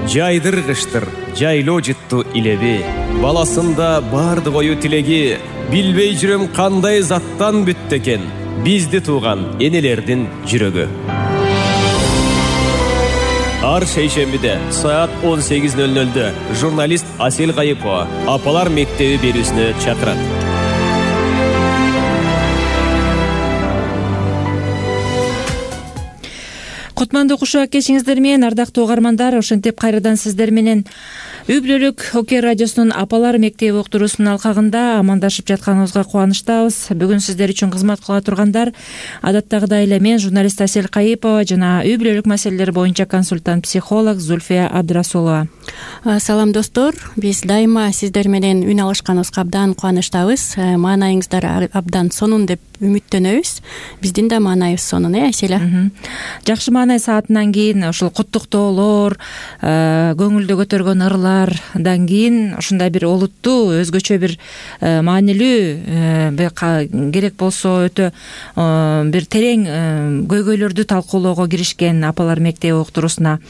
Жайдыргыштыр, жайлоо жытту илеби. Баласында бардык ою тилеги. Билбей жүрөм кандай заттан бүттү экен бизди тууган энелердин жүрөгү. Ар шейшембиде саат 18:00 журналист Асель Кайыпова Апалар мектеби берүүсүнө чакырат. Кутмандуу кушуак кечиңиздер менен, ардактуу угармандар, ошентип кайрадан сиздер менен Үй бүлөлүк Окей радиосунун Апалар мектеби уктуруусунун алкагында амандашып жатканыбызга кубанычтабыз. Бүгүн сиздер үчүн кызмат кыла тургандар адаттагыдай эле мен, журналист Асель Кайыпова жана үй бүлөлүк маселелер боюнча консультант психолог Зульфия Абдрасулова. Салам достор, биз дайыма сиздер менен үн алышканыбызга абдан кубанычтабыз. Маанайыңыздар абдан сонун деп үмүттөнөбүз. Биздин да маанайыбыз сонун, Аселя? Жакшы маанай саатынан кийин ушул куттуктоолор, көңүлдү көтөргөн ырлардан кийин ушундай бир олуттуу, өзгөчө бир маанилүү, керек болсо өтө бир терең көйгөйлөрдү талкуулоого киришкен Апалар мектеби уктуруусуна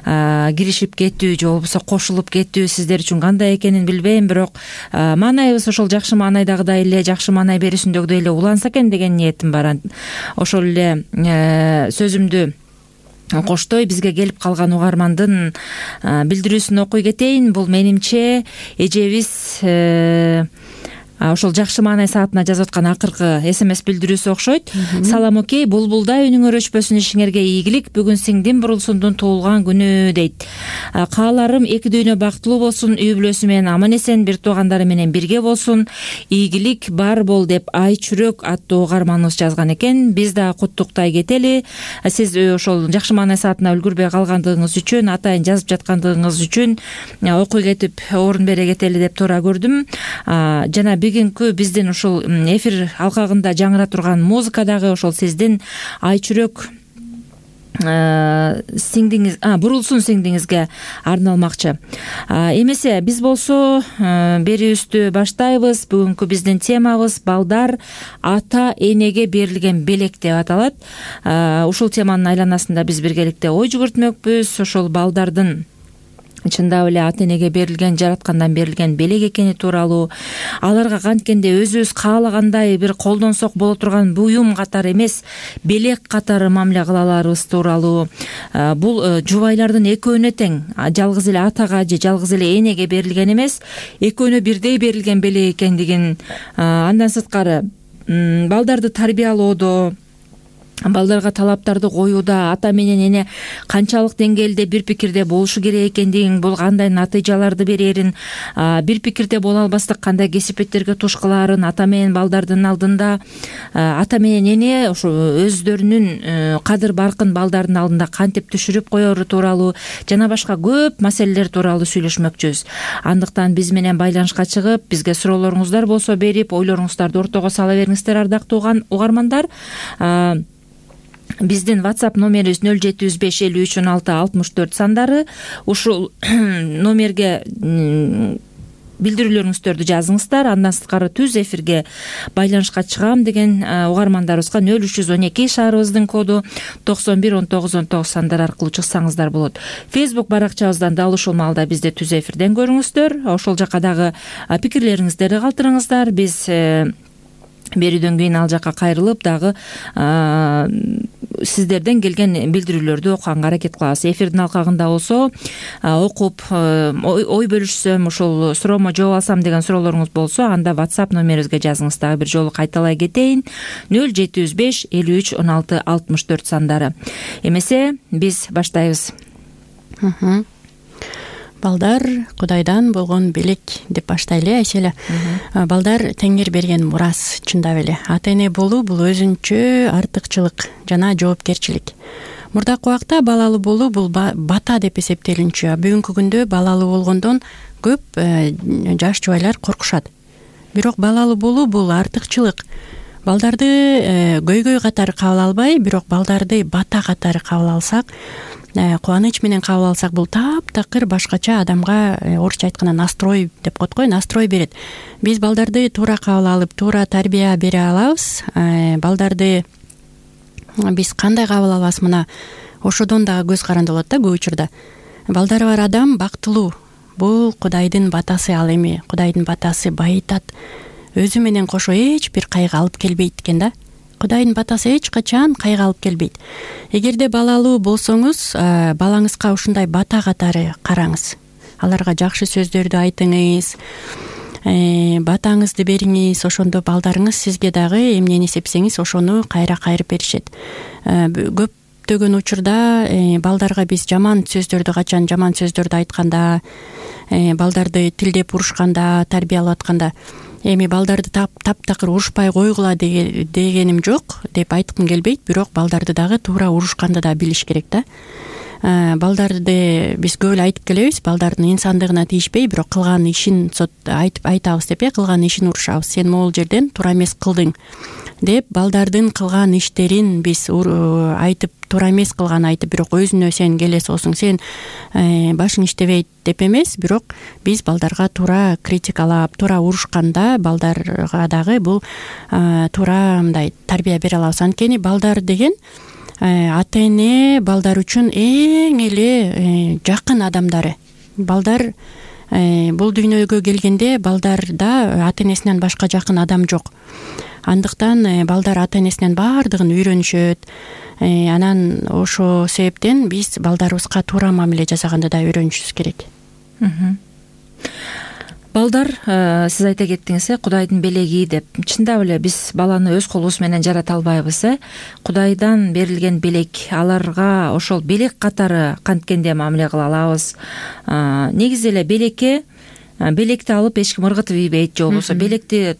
киришип кетүү же болбосо кошулуп кетүү сиздер үчүн кандай экенин билбейм, бирок маанайыбыз ошол жакшы маанайдагыдай эле, жакшы маанай берүүсүндөгүдөй эле уланса экен деген ниетим бар. Ошол эле сөзүмдү коштой бизге келип калган угармандын билдирүүсүн окуй кетейин. Бул менимче эжебиз ошол жакшы маанай саатына жазып аткан акыркы СМС билдирүүсү окшойт. Салам Окей, булбулдай үнүңөр өчпөсүн, ишиңерге ийгилик. Бүгүн сиңдим Бурулсундун туулган күнү дейт. Кааларым эки дүйнө бактылуу болсун, үй бүлөсү менен аман эсен, бир туугандары менен бирге болсун, ийгилик бар бол деп Ай Чүрөк аттуу угарманыбыз жазган экен. Биз да куттуктай кетели. Сиз ошол жакшы маанай саатына үлгүрбөй калгандыгыңыз үчүн, атайын жазып жаткандыгыңыз үчүн окуй кетип орун бере кетели деп туура көрдүм. Жана бүгүнкү биздин ушул эфир алкагында жаңыра турган музыка дагы ошол сиздин Ай Чүрөк сиңдиңиз, Бурулсун сиңдиңизге арналмакчы. Эмесе биз болсо берүүбүздү баштайбыз. Бүгүнкү биздин темабыз балдар ата энеге берилген белек деп аталат. Ушул теманын айланасында биз биргеликте ой жүгүртмөкпүз. Ошол балдардын чындап эле ата энеге берилген, жараткандан берилген белек экени тууралуу, аларга канткенде өзүбүз каалагандай бир колдонсок боло турган буюм катары эмес, белек катары мамиле кыла аларыбыз тууралуу. Бул жубайлардын экөөнө тең, жалгыз эле атага же жалгыз эле энеге берилген эмес, экөөнө бирдей берилген белек экендигин, андан сырткары балдарды тарбиялоодо, балдарга талаптарды коюуда ата менен эне канчалык деңгээлде бир пикирде болушу керек экендигин, бул кандай натыйжаларды берерин, бир пикирде боло албастык кандай кесипеттерге туш кылаарын ата менен балдардын алдында, ата менен эне ошо өздөрүнүн кадыр баркын балдардын алдында кантип түшүрүп коеру тууралуу жана башка көп маселелер тууралуу сүйлөшмөкчүбүз. Андыктан биз менен байланышка чыгып, бизге суроолоруңуздар болсо берип, ойлоруңуздарды ортого сала бериңиздер, ардактуу угармандар. Биздин WhatsApp номерибиз 0705531664 сандары. Ушул номерге билдирүүлөрүңүздөрдү жазыңыздар. Андан сырткары түз эфирге байланышка чыгам деген угармандарыбызга 0312 шаарыбыздын коду 911919 сандары аркылуу чыксаңыздар болот. Facebook баракчабыздан дал ушул маалда бизди түз эфирден көрүңүздөр. Ошол жака дагы пикирлериңиздерди калтырыңыздар. Биз берүүдөн кийин ал жака кайрылып дагы сиздерден келген билдирүүлөрдү окуганга аракет кылабыз. Эфирдин алкагында болсо окуп ой бөлүшсөм, ушул суроомо жооп алсам деген суроолоруңуз болсо, анда WhatsApp номерибизге жазыңыз. Дагы бир жолу кайталай кетейин. 0705 53 16 64 сандары. Эмесе биз баштайбыз. Балдар Кудайдан болгон белек деп баштайлы, Аселя. Балдар Теңир берген мурас, чындап эле. Ата эне болуу бул өзүнчө артыкчылык жана жоопкерчилик. Мурдакы убакта балалуу болуу бул бата деп эсептелинчү. Бүгүнкү күндө балалуу болгондон көп жаш жубайлар коркушат. Бирок балалуу болуу бул артыкчылык. Балдарды көйгөй катары кабыл албай, бирок балдарды бата катары кабыл алсак, кубаныч менен кабыл алсак, бул таптакыр башкача адамга орусча айтканда настрой деп коет го, настрой берет. Биз балдарды туура кабыл алып, туура тарбия бере алабыз. Балдарды биз кандай кабыл алабыз, мына ошодон дагы көз каранды болот да көп учурда. балдары бар адам бактылуу. Бул Кудайдын батасы, ал эми Кудайдын батасы байытат. Өзү менен кошо эч бир кайгы алып келбейт экен да. Кудайдын батасы эч качан кайгы алып келбейт. Эгерде балалуу болсоңуз, балаңызга ушундай бата катары караңыз. Аларга жакшы сөздөрдү айтыңыз, батаңызды бериңиз. Ошондо балдарыңыз сизге дагы эмнени сепсеңиз ошону кайра кайрып беришет. Көптөгөн учурда балдарга биз жаман сөздөрдү айтканда, балдарды тилдеп урушканда, тарбиялап атканда, эми балдарды таптакыр урушпай койгула дегеним жок деп айткым келбейт, бирок балдарды дагы туура урушканды да билиш керек да. Балдарды биз көп эле айтып келебиз, балдардын инсандыгына тийишпей, бирок кылган ишин айтабыз деп, кылган ишин урушабыз. Сен могул жерден туура эмес кылдың деп балдардын кылган иштерин биз айтып, туура эмес кылганын айтып, бирок өзүнө сен келесиосуң, сен башың иштебейт деп эмес, бирок биз балдарга туура критикалап, туура урушканда балдарга дагы бул туура мындай тарбия бере алабыз. Анткени балдар деген ата эне балдар үчүн эң эле жакын адамдары. Балдар бул дүйнөгө келгенде балдарда ата энесинен башка жакын адам жок. Андыктан балдар ата энесинен баардыгын үйрөнүшөт. Анан ошо себептен биз балдарыбызга туура мамиле жасаганды да үйрөнүшүбүз керек. Балдар, сиз айта кеттиңиз, Кудайдын белеги деп. Чындап эле биз баланы өз колубуз менен жарата албайбыз. Кудайдан берилген белек, аларга ошол белек катары канткенде мамиле кыла алабыз. Негизи эле белекти алып эч ким ыргытып ийбейт, же болбосо белекти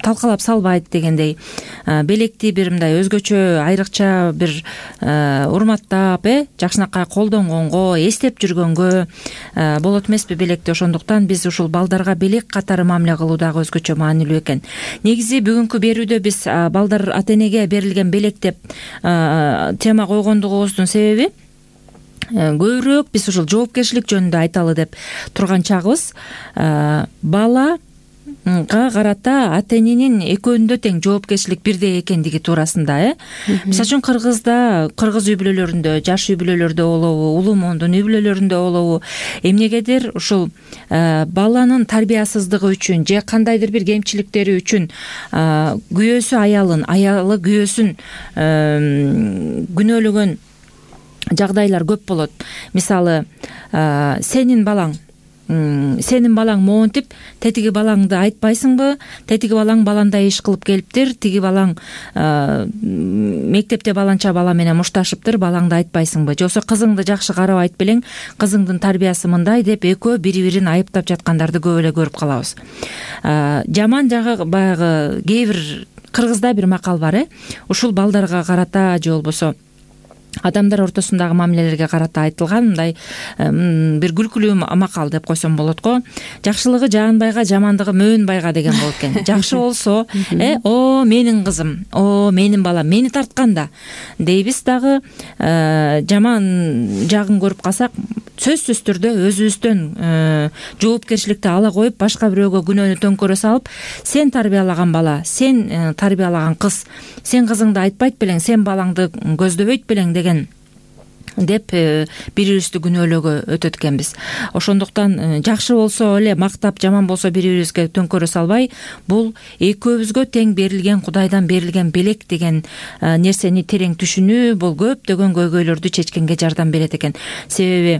талкалап салбайт дегендей. Белекти бир мындай өзгөчө, айрыкча бир урматтап, жакшынакай колдонгонго, эстеп жүргөнгө болот эмеспи белекти. Ошондуктан биз ушул балдарга белек катары мамиле кылуу дагы өзгөчө маанилүү экен. Негизи бүгүнкү берүүдө биз балдар ата энеге берилген белек деп тема койгондугубуздун себеби көбүрөөк биз ушул жоопкерчилик жөнүндө айталы деп турган чагыбыз. Балага карата ата эненин экөөнүндө тең жоопкерчилик бирдей экендиги туурасында. Мисалы үчүн кыргыз үй бүлөлөрүндө, жаш үй бүлөлөрдө болобу, улуу моңдун үй бүлөлөрүндө болобу, эмнегедир ушул баланын тарбиясыздыгы үчүн же кандайдыр бир кемчиликтери үчүн күйөөсү аялы күйөөсүн күнөөлөгөн жагдайлар көп болот. Мисалы, сенин балаң моунтип, тетиги балаңды айтпайсыңбы? Тетиги балаң баландай иш кылып келиптир, тиги балаң мектепте баланча бала менен мушташыптыр, балаңды айтпайсыңбы? Же болбосо кызыңды жакшы карабайт белең, кызыңдын тарбиясы мындай деп экөө бири-бирин айыптап жаткандарды көп эле көрүп калабыз. Жаман жагы баягы кээ бир кыргызда бир макал бар, ушул балдарга карата же болбосо адамдар ортосундагы мамилелерге карата айтылган мындай бир күлкүлүү макал деп койсом болот го. Жакшылыгы жаанбайга, жамандыгы мөөнбайга деген болот экен. Жакшы болсо, о менин кызым, о менин балам, мени тартканда дейбиз дагы. Жаман жагын көрүп калсак, сөзсүз түрдө өзүбүздөн жоопкерчиликти ала коюп, башка бирөөгө күнөөнү төңкөрө салып, сен тарбиялаган бала, сен тарбиялаган кыз, сен кызыңды айтпайт белең, сен балаңды көздөбөйт белең деп бири-бирибизди күнөөлөөгө өтөт экенбиз. Ошондуктан жакшы болсо эле мактап, жаман болсо бири-бирибизге төңкөрө салбай, бул экөөбүзгө тең берилген, Кудайдан берилген белек деген нерсени терең түшүнүү, бул көптөгөн көйгөйлөрдү чечкенге жардам берет экен. Себеби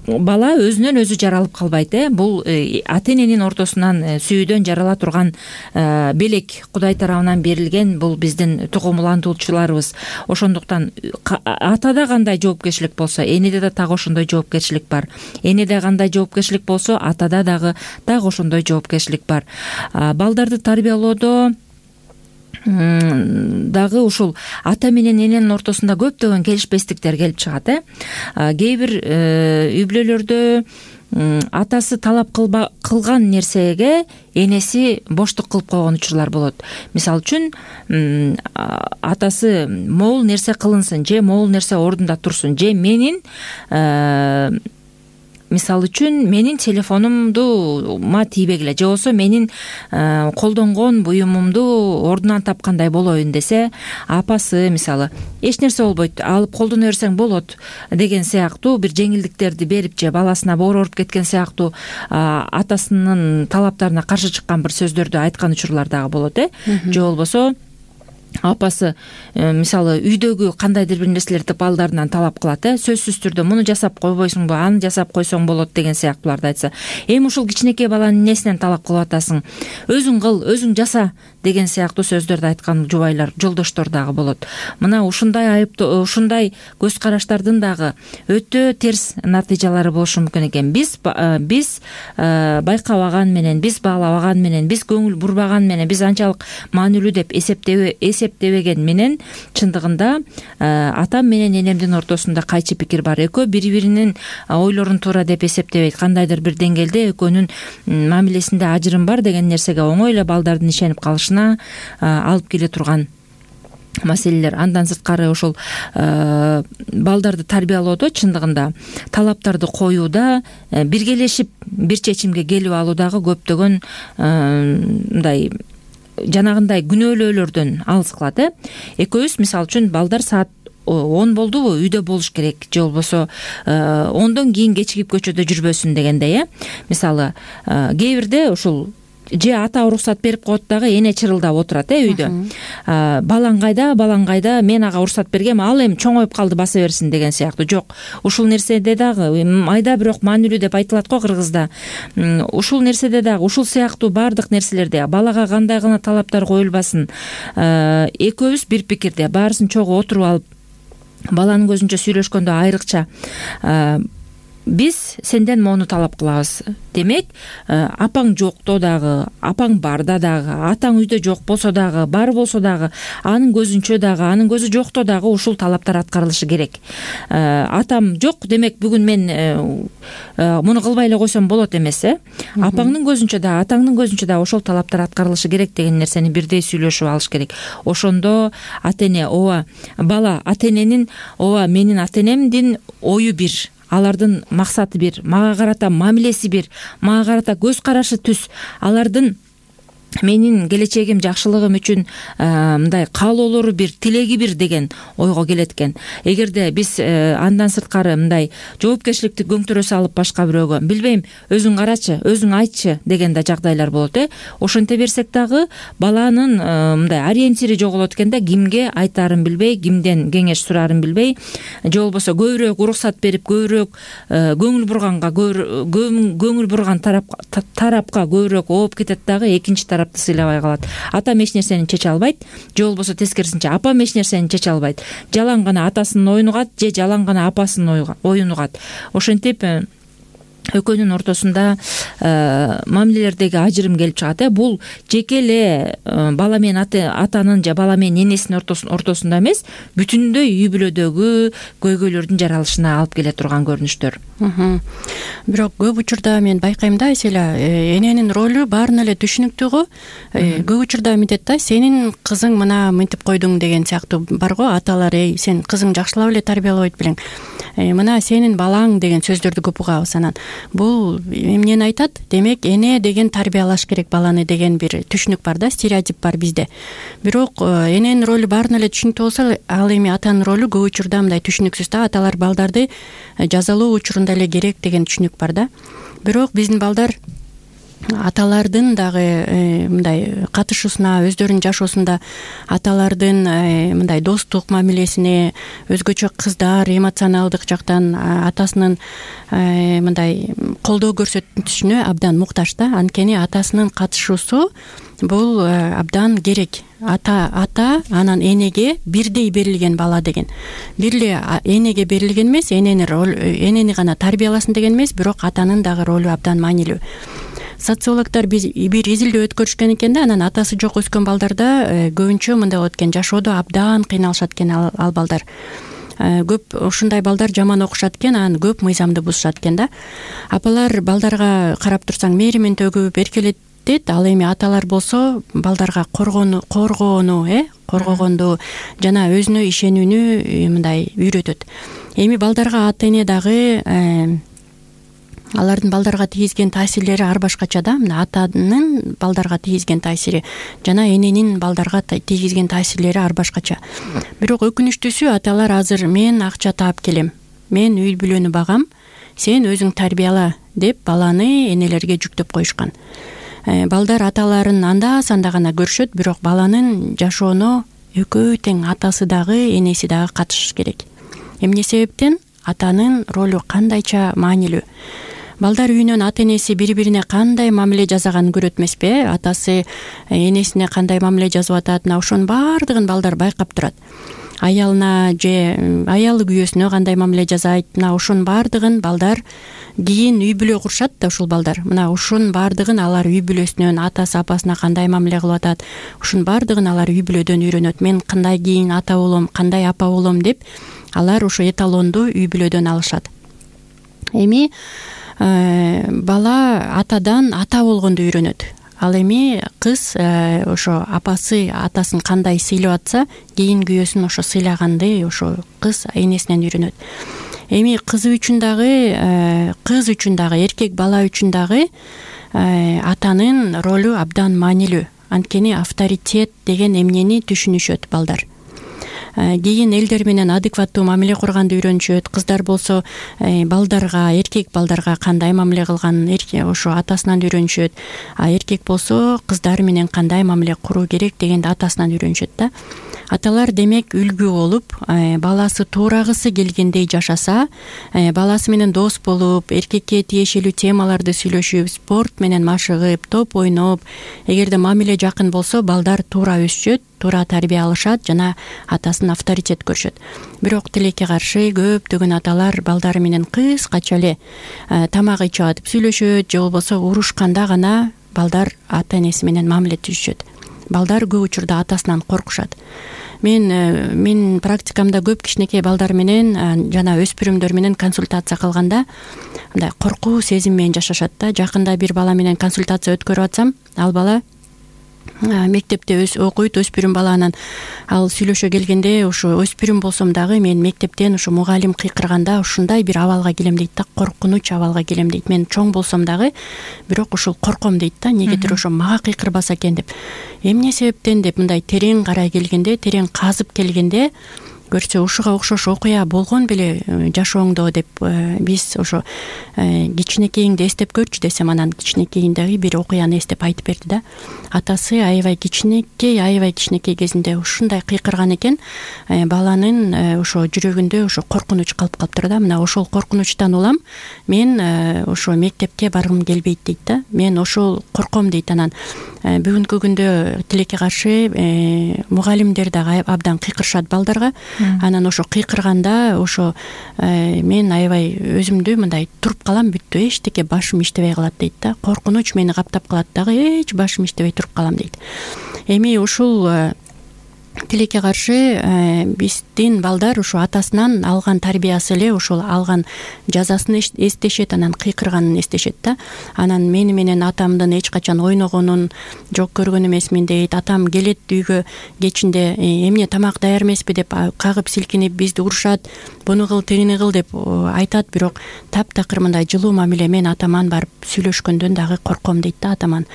бала өзүнөн өзү жаралып калбайт. Бул ата эненин ортосунан сүйүүдөн жарала турган белек, Кудай тарабынан берилген, бул биздин тугумуландуучуларыбыз. Ошондуктан атада кандай жоопкерчилик болсо, энеде да так ошондой жоопкерчилик бар. Энеде кандай жоопкерчилик болсо, атада дагы так ошондой жоопкерчилик бар. Балдарды тарбиялоодо дагы ушул ата менен эненин ортосунда көптөгөн келишпестиктер келип чыгат. Кээ бир үй бүлөлөрдө атасы талап кылган нерсеге энеси боштук кылып койгон учурлар болот. Мисалы үчүн атасы могул нерсе кылынсын, же могул нерсе ордунда турсун, же мен мисалы үчүн менин телефонумдума тийбегиле же болбосо менин колдонгон буюмумду ордунан тапкандай болоюн десе, апасы мисалы эч нерсе болбойт, алып колдоно берсең болот деген сыяктуу бир жеңилдиктерди берип же баласына боор ооруп кеткен сыяктуу атасынын талаптарына каршы чыккан бир сөздөрдү айткан учурлар дагы болот. Же болбосо апасы мисалы үйдөгү кандайдыр бир нерселерди балдарынан талап кылат, сөзсүз түрдө муну жасап койбойсуңбу, аны жасап койсоң болот деген сыяктууларды айтса, эми ушул кичинекей баланын эмнесинен талап кылып атасың, өзүң кыл, өзүң жаса деген сыяктуу сөздөрдү айткан жубайлар, жолдоштор дагы болот. Мына ушундай көз караштардын дагы өтө терс натыйжалары болушу мүмкүн экен. Биз байкабаган менен, биз баалабаган менен, биз көңүл бурбаган менен, биз анчалык маанилүү деп эсептебеген менен чындыгында атам менен энемдин ортосунда кайчы пикир бар. Экөө бири-биринин ойлорун туура деп эсептебейт. Кандайдыр бир деңгээлде экөөнүн мамилесинде ажырым бар деген нерсеге оңой эле балдардын ишенип калышына алып келе турган маселелер. Андан сырткары ошол балдарды тарбиялоодо чындыгында талаптарды коюуда биргелешип бир чечимге келип алуудагы көптөгөн мындай жанагындай күнөөлөөлөрдөн алыс кылат. Экөөбүз мисалы үчүн балдар саат 10 болдубу үйдө болуш керек, же болбосо 10дон кийин кечигип көчөдө жүрбөсүн дегендей. Мисалы кээ бирде ушул же ата уруксат берип коет дагы эне чырылдап отурат үйдө. Балаң кайда, мен ага уруксат бергем, ал эми чоңоюп калды, баса берсин деген сыяктуу. Жок, ушул нерседе дагы майда бирок маанилүү деп айтылат го кыргызда. Ушул нерседе дагы ушул сыяктуу баардык нерселерде балага кандай гана талаптар коюлбасын, экөөбүз бир пикирде баарысын чогуу отуруп алып баланын көзүнчө сүйлөшкөндө айрыкча биз сенден моуну талап кылабыз. Демек, апаң жокто дагы, апаң барда дагы, атаң үйдө жок болсо дагы, бар болсо дагы, анын көзүнчө дагы, анын көзү жокто дагы ушул талаптар аткарылышы керек. Атам жок, демек бүгүн мен муну кылбай эле койсом болот эмес. Апаңдын көзүнчө да, атаңдын көзүнчө да ошол талаптар аткарылышы керек деген нерсени бирдей сүйлөшүп алыш керек. Ошондо ата-эне, бала ата-эненин, менин ата-энемдин ою бир, алардын максаты бир, мага карата мамилеси бир, мага карата көз карашы түз, алардын менин келечегим, жакшылыгым үчүн мындай каалоолору бир, тилеги бир деген ойго келет экен. Эгерде биз андан сырткары мындай жоопкерчиликти көңтүрө салып башка бирөөгө, билбейм, өзүң карачы, өзүң айтчы деген да жагдайлар болот. Ошенте берсек дагы баланын мындай ориентири жоголот экен да, кимге айтаарын билбей, кимден кеңеш сураарын билбей, же болбосо көбүрөөк уруксат берип, көбүрөөк көңүл бурган тарапка көбүрөөк ооп кетет дагы, экинчи тарапты сыйлабай калат. Атам эч нерсени чече албайт, же болбосо тескерисинче апам эч нерсени чече албайт. Жалаң гана атасынын оюн угат, же жалаң гана апасынын оюн угат. Ошентип экөөнүн ортосунда мамилелердеги ажырым келип чыгат. Бул жеке эле бала менен атанын же бала менен энесинин ортосунда эмес, бүтүндөй үй бүлөдөгү көйгөйлөрдүн жаралышына алып келе турган көрүнүштөр. Бирок көп учурда мен байкайм да, эненин ролу баарына эле түшүнүктүү го. Көп учурда мынтет да, сенин кызың мына мынтип койдуң деген сыяктуу бар го. Аталар, сен кызың жакшылап эле тарбиялабайт белең, мына сенин балаң деген сөздөрдү көп угабыз. Анан бул эмнени айтат? Демек, эне деген тарбиялаш керек баланы деген бир түшүнүк бар да, стереотип бар бизде. Бирок эненин ролу баарына эле түшүнүктүү болсо, ал эми атанын ролу көп учурда мындай түшүнүксүз да. Аталар балдарды жазалоо учурунда эле керек деген түшүнүк бар да. Бирок биздин балдар аталардын дагы мындай катышуусуна, өздөрүнүн жашоосунда аталардын мындай достук мамилесине, өзгөчө кыздар эмоционалдык жактан атасынын мындай колдоо көрсөтүшүнө абдан муктаж да. Анткени атасынын катышуусу бул абдан керек. Ата анан энеге бирдей берилген бала деген. Бир эле энеге берилген эмес, энени гана тарбияласын деген эмес, бирок атанын дагы ролу абдан маанилүү. Социологдор бир изилдөө өткөрүшкөн экен да, анан атасы жок өскөн балдарда көбүнчө мындай болот экен, жашоодо абдан кыйналышат экен ал балдар. Көп ушундай балдар жаман окушат экен, анан көп мыйзамды бузушат экен да. Апалар балдарга карап турсаң мээримин төгүп эркелетет, ал эми аталар болсо балдарга коргогонду жана өзүнө ишенүүнү мындай үйрөтөт. Эми балдарга ата эне дагы алардын балдарга тийгизген таасирлери ар башкача да. Мына атанын балдарга тийгизген таасири жана эненин балдарга тийгизген таасирлери ар башкача. Бирок өкүнүчтүүсү аталар азыр мен акча таап келем, мен үй бүлөнү багам, сен өзүң тарбияла деп баланы энелерге жүктөп коюшкан. Балдар аталарын анда санда гана көрүшөт, бирок баланын жашоону экөө тең атасы дагы энеси дагы катышыш керек. Эмне себептен? Атанын ролу кандайча маанилүү. Балдар үйүнөн ата энеси бири-бирине кандай мамиле жасаганын көрөт эмеспи? Атасы энесине кандай мамиле жасап атат, ошонун баардыгын балдар байкап турат. Аялына же аялы күйөөсүнө кандай мамиле жасайт, мына ошонун баардыгын балдар кийин үй бүлө курушат да ушул балдар. Мына ушунун баардыгын алар үй бүлөсүнөн атасы апасына кандай мамиле кылып атат, ушунун баардыгын алар үй бүлөдөн үйрөнөт. Мен кандай кийин ата болом, кандай апа болом деп алар ошо эталонду үй бүлөдөн алышат. Эми бала атадан ата болгонду үйрөнөт. Ал эми кыз ошо апасы атасын кандай сыйлап атса, кийин күйөөсүн ошо сыйлаганды ошо кыз энесинен үйрөнөт. Эми кыз үчүн дагы, эркек бала үчүн дагы атанын ролу абдан маанилүү. Анткени авторитет деген эмнени түшүнүшөт балдар. Кийин элдер менен адекваттуу мамиле курганды үйрөнүшөт. Кыздар болсо балдарга, эркек балдарга кандай мамиле кылганын ошо атасынан үйрөнүшөт. А эркек болсо кыздар менен кандай мамиле куруу керек дегенди атасынан үйрөнүшөт да. Аталар демек үлгү болуп, баласы туурагысы келгендей жашаса, баласы менен дос болуп, эркекке тиешелүү темаларды сүйлөшүп, спорт менен машыгып, топ ойноп, эгерде мамиле жакын болсо, балдар туура өсүшөт, туура тарбия алышат жана атасын авторитет көрүшөт. Бирок тилекке каршы көптөгөн аталар балдары менен кыскача эле тамак ичип атып сүйлөшөт, же болбосо урушканда гана балдар ата энеси менен мамиле түзүшөт. Балдар көп учурда атасынан коркушат. Мен практикамда көп кичинекей балдар менен жана өспүрүмдөр менен консультация кылганда мындай коркуу сезим менен жашашат да. Жакында бир бала менен консультация өткөрүп атсам, ал бала мектепте окуйт, өспүрүм бала. Анан ал сүйлөшө келгенде ошо өспүрүм болсом дагы мен мектептен ошо мугалим кыйкырганда ушундай бир абалга келем дейт да, коркунуч абалга келем дейт. Мен чоң болсом дагы бирок ушул корком дейт да, негедир ошо мага кыйкырбаса экен деп. Эмне себептен деп мындай терең карай келгенде, терең казып келгенде көрсө ушуга окшош окуя болгон беле жашооңдо деп биз ошо кичинекейиңди эстеп көрчү десем, анан кичинекейиндеги бир окуяны эстеп айтып берди да. Атасы аябай кичинекей кезинде ушундай кыйкырган экен, баланын ошо жүрөгүндө ошо коркунуч калып калыптыр да. Мына ошол коркунучтан улам мен ошо мектепке баргым келбейт дейт да. Мен ошол корком дейт. Анан бүгүнкү күндө тилекке каршы мугалимдер дагы абдан кыйкырышат балдарга. Анан ошо кыйкырганда ошо мен аябай өзүмдү мындай туруп калам, бүттү, эчтеке башым иштебей калат дейт да. Коркунуч мени каптап калат дагы, эч башым иштебей туруп калам дейт. Эми ушул тилекке каршы биздин балдар ошо атасынан алган тарбиясы эле ошол алган жазасын эстешет, анан кыйкырганын эстешет да. Анан мени менен атамдын эч качан ойногонун жок көргөн эмесмин дейт. Атам келет үйгө кечинде эмне тамак даяр эмеспи деп кагып силкинип бизди урушат, буну кыл, тигини кыл деп айтат. Бирок таптакыр мындай жылуу мамиле мен атаман барып сүйлөшкөндөн дагы корком дейт да атаман.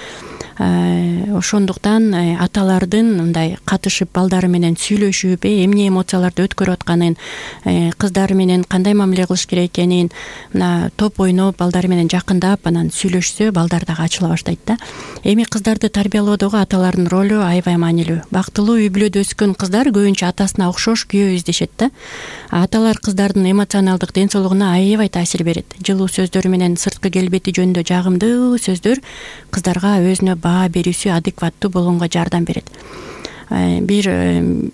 Ошондуктан аталардын мындай катышып балдары менен сүйлөшүп, эмне эмоцияларды өткөрүп атканын, кыздары менен кандай мамиле кылыш керек экенин, мына топ ойноп, балдары менен жакындап анан сүйлөшсө, балдар дагы ачыла баштайт да. Эми кыздарды тарбиялоодогу аталардын ролу аябай маанилүү. Бактылуу үй бүлөдө өскөн кыздар көбүнчө атасына окшош күйөө издешет да. Аталар кыздардын эмоционалдык ден соолугуна аябай таасир берет. Жылуу сөздөр менен сырткы келбети жөнүндө жагымдуу сөздөр кыздарга өзүнө баа берүүсү адекваттуу болгонго жардам берет. Бир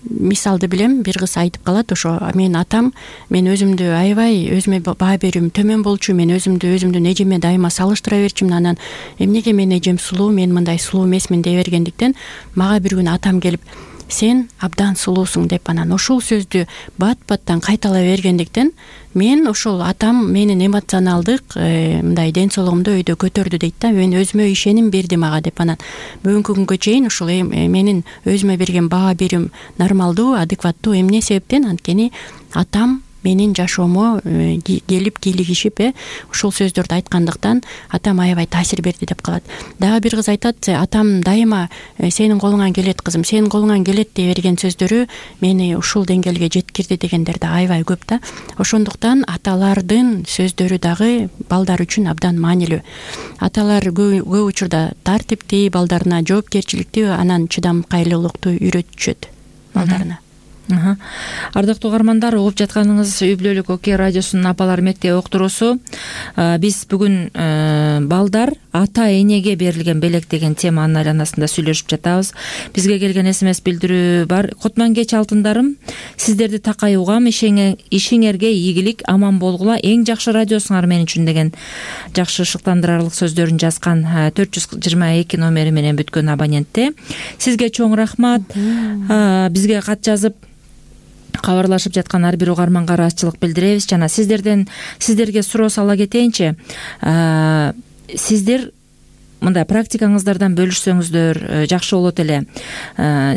мисалды билем, бир кыз айтып калат, ошо мен атам мен өзүмдү аябай өзүмө баа берүүм төмөн болчу, мен өзүмдүн эжеме дайыма салыштыра берчүмүн. Анан эмнеге менин эжем сулуу, мен мындай сулуу эмесмин дей бергендиктен мага бир күнү атам келип сен абдан сулуусуң деп анан ошол сөздү бат-баттан кайталай бергендиктен мен ошол атам менин эмоционалдык мындай ден соолугумду өйдө көтөрдү дейт да. Мен өзүмө ишеним берди мага деп. Анан бүгүнкү күнгө чейин ушул менин өзүмө берген баа берүүм нормалдуу, адекваттуу. Эмне себептен? Анткени атам менин жашоомо келип кийлигишип ушул сөздөрдү айткандыктан атам аябай таасир берди деп калат. Дагы бир кыз айтат, атам дайыма сенин колуңан келет кызым, сенин колуңан келет дей берген сөздөрү мени ушул деңгээлге жеткирди дегендер да аябай көп да. Ошондуктан аталардын сөздөрү дагы балдар үчүн абдан маанилүү. Аталар көп учурда тартиптүү, балдарына жоопкерчиликтүү, анан чыдамкайлуулукту үйрөтүшөт балдарына. Ардактуу угармандар, угуп жатканыңыз Үй бүлөлүк Окей радиосунун апалар мектеби уктуруусу. Биз бүгүн балдар ата энеге берилген белек деген теманын айланасында сүйлөшүп жатабыз. Бизге келген СМС билдирүү бар. Кутман кеч алтындарым, сиздерди такай угам, ишиңерге ийгилик, аман болгула, эң жакшы радиосуңар мен үчүн деген жакшы шыктандырарлык сөздөрүн жазган 422 номери менен бүткөн абонентте. Сизге чоң рахмат. Бизге кат жазып кабарлашып жаткан ар бир угарманга ыраазычылык билдиребиз. Жана сиздерге суроо сала кетейинчи. Сиздер мындай практикаңыздардан бөлүшсөңүздөр жакшы болот эле.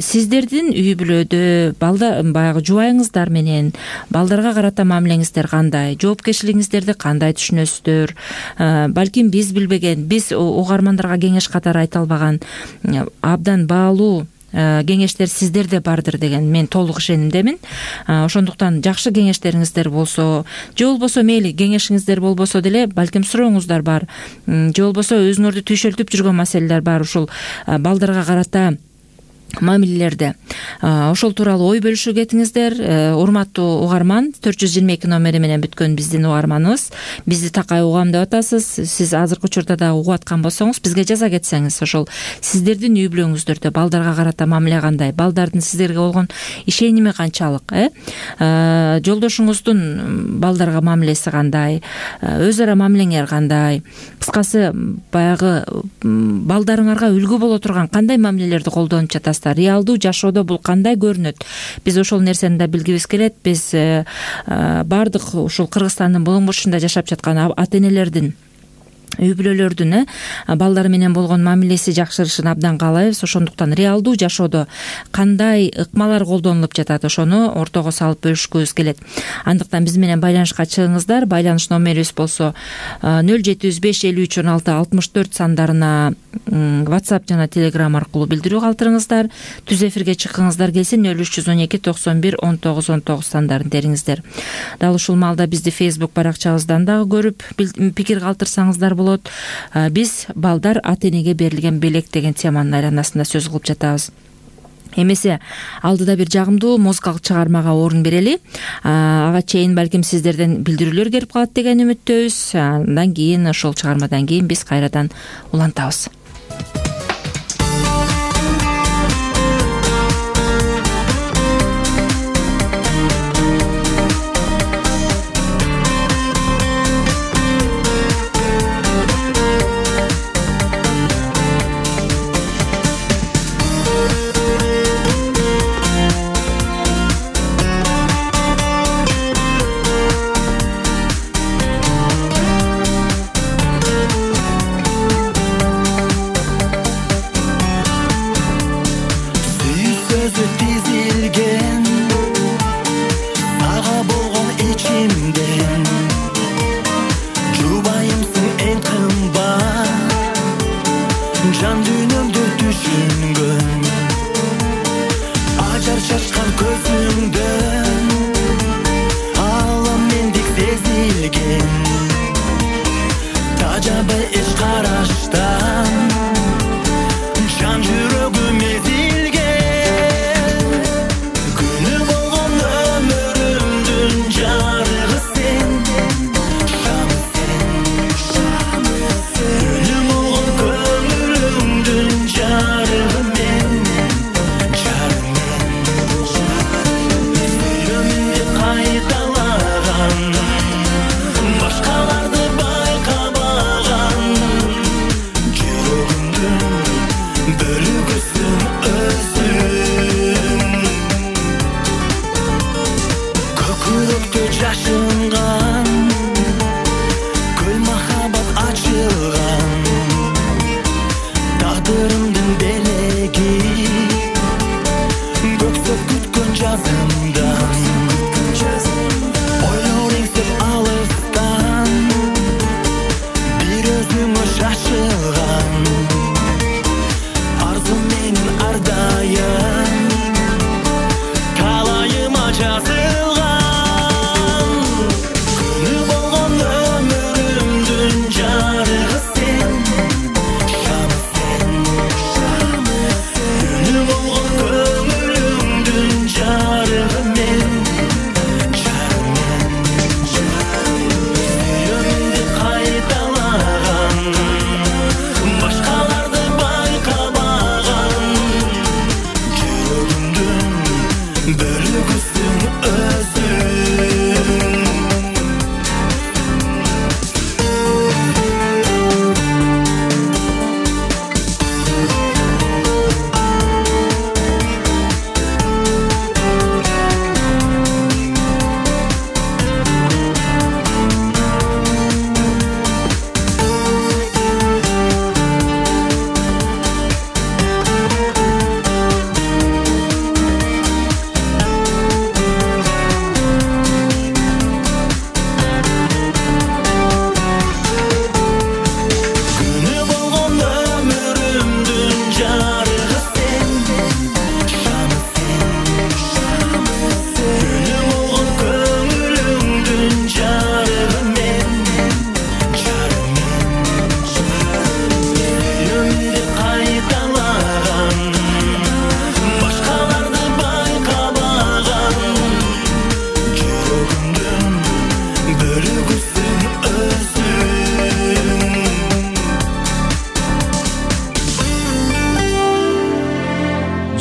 Сиздердин үй бүлөдө баягы жубайыңыздар менен балдарга карата мамилеңиздер кандай? Жоопкерчилигиңиздерди кандай түшүнөсүздөр? Балким биз билбеген, биз угармандарга кеңеш катары айта албаган абдан баалуу кеңештер сиздерде бардыр деген мен толук ишенимдемин. Ошондуктан жакшы кеңештериңиздер болсо, же болбосо мейли кеңешиңиздер болбосо деле балким сурооңуздар бар, же болбосо өзүңөрдү түйшөлтүп жүргөн маселелер бар ушул балдарга карата мамилелерде. Ошол тууралуу ой бөлүшүү кетиңиздер. Урматтуу угарман, 422 номери менен бүткөн биздин угарманыбыз. Бизди такай угам деп атасыз. Сиз азыркы учурда да угуп аткан болсоңуз, бизге жаза кетсеңиз, ошол сиздердин үй бүлөңүздөрдө балдарга карата мамиле кандай, балдардын сиздерге болгон ишеними канчалык, жолдошуңуздун балдарга мамилеси кандай, өз ара мамилеңер кандай, кыскасы баягы балдарыңарга үлгү боло турган кандай мамилелерди колдонуп жатасыз? Реалдуу жашоодо бул кандай көрүнөт? Биз ошол нерсени да билгибиз келет. Биз бардык ушул Кыргызстандын булуң бурчунда жашап жаткан ата энелердин, үй бүлөлөрдүн балдары менен болгон мамилеси жакшырышын абдан каалайбыз. Ошондуктан реалдуу жашоодо кандай ыкмалар колдонулуп жатат, ошону ортого салып бөлүшкүбүз келет. Андыктан биз менен байланышка чыгыңыздар. Байланыш номерибиз болсо 0705 53 16 64 сандарына WhatsApp жана Telegram аркылуу билдирүү калтырыңыздар. Түз эфирге чыккыңыздар келсе 0312 91 19 19 сандарын териңиздер. Дал ушул маалда бизди Facebook баракчабыздан дагы көрүп пикир калтырсаңыздар болот. Биз балдар ата энеге берилген белек деген теманын айланасында сөз кылып жатабыз. Эмесе алдыда бир жагымдуу музыкалык чыгармага орун берели. Ага чейин балким сиздерден билдирүүлөр келип калат деген үмүттөбүз. Андан кийин ошол чыгармадан кийин биз кайрадан улантабыз. Башкаларды байкабаган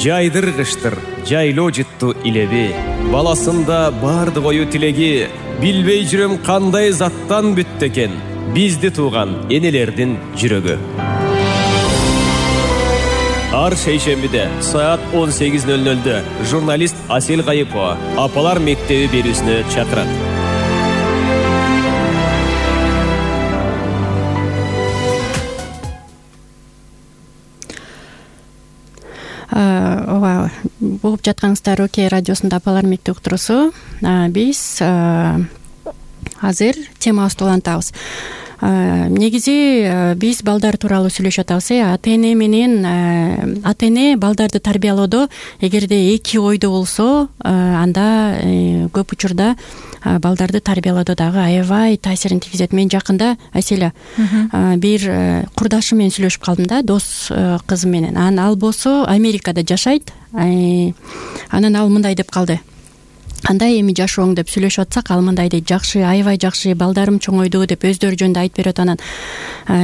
жайдыргыштыр жайлоо жыттуу илеби. Баласында бардык ою тилеги, билбей жүрөм кандай заттан бүттү экен бизди тууган энелердин жүрөгү. Ар шейшембиде саат 18:00 журналист Асел Кайыпова апалар мектеби берүүсүнө чакырат. Ооба, угуп жатканыңыздар Окей радиосунда апалар мектеби уктуруусу. Биз азыр темабызды улантабыз. Негизи биз балдар тууралуу сүйлөшүп атабыз. Ата эне менен ата эне балдарды тарбиялоодо эгерде эки ойдо болсо, анда көп учурда балдарды тарбиялоодо дагы аябай таасирин тийгизет. Мен жакында Аселя бир курдашым менен сүйлөшүп калдым да, дос кызым менен. Ал болсо Америкада жашайт. Анан ал мындай деп калды. Кандай эми жашооң деп сүйлөшүп атсак, ал мындай дейт: жакшы, аябай жакшы, балдарым чоңойду деп өздөрү жөнүндө айтып берет. Анан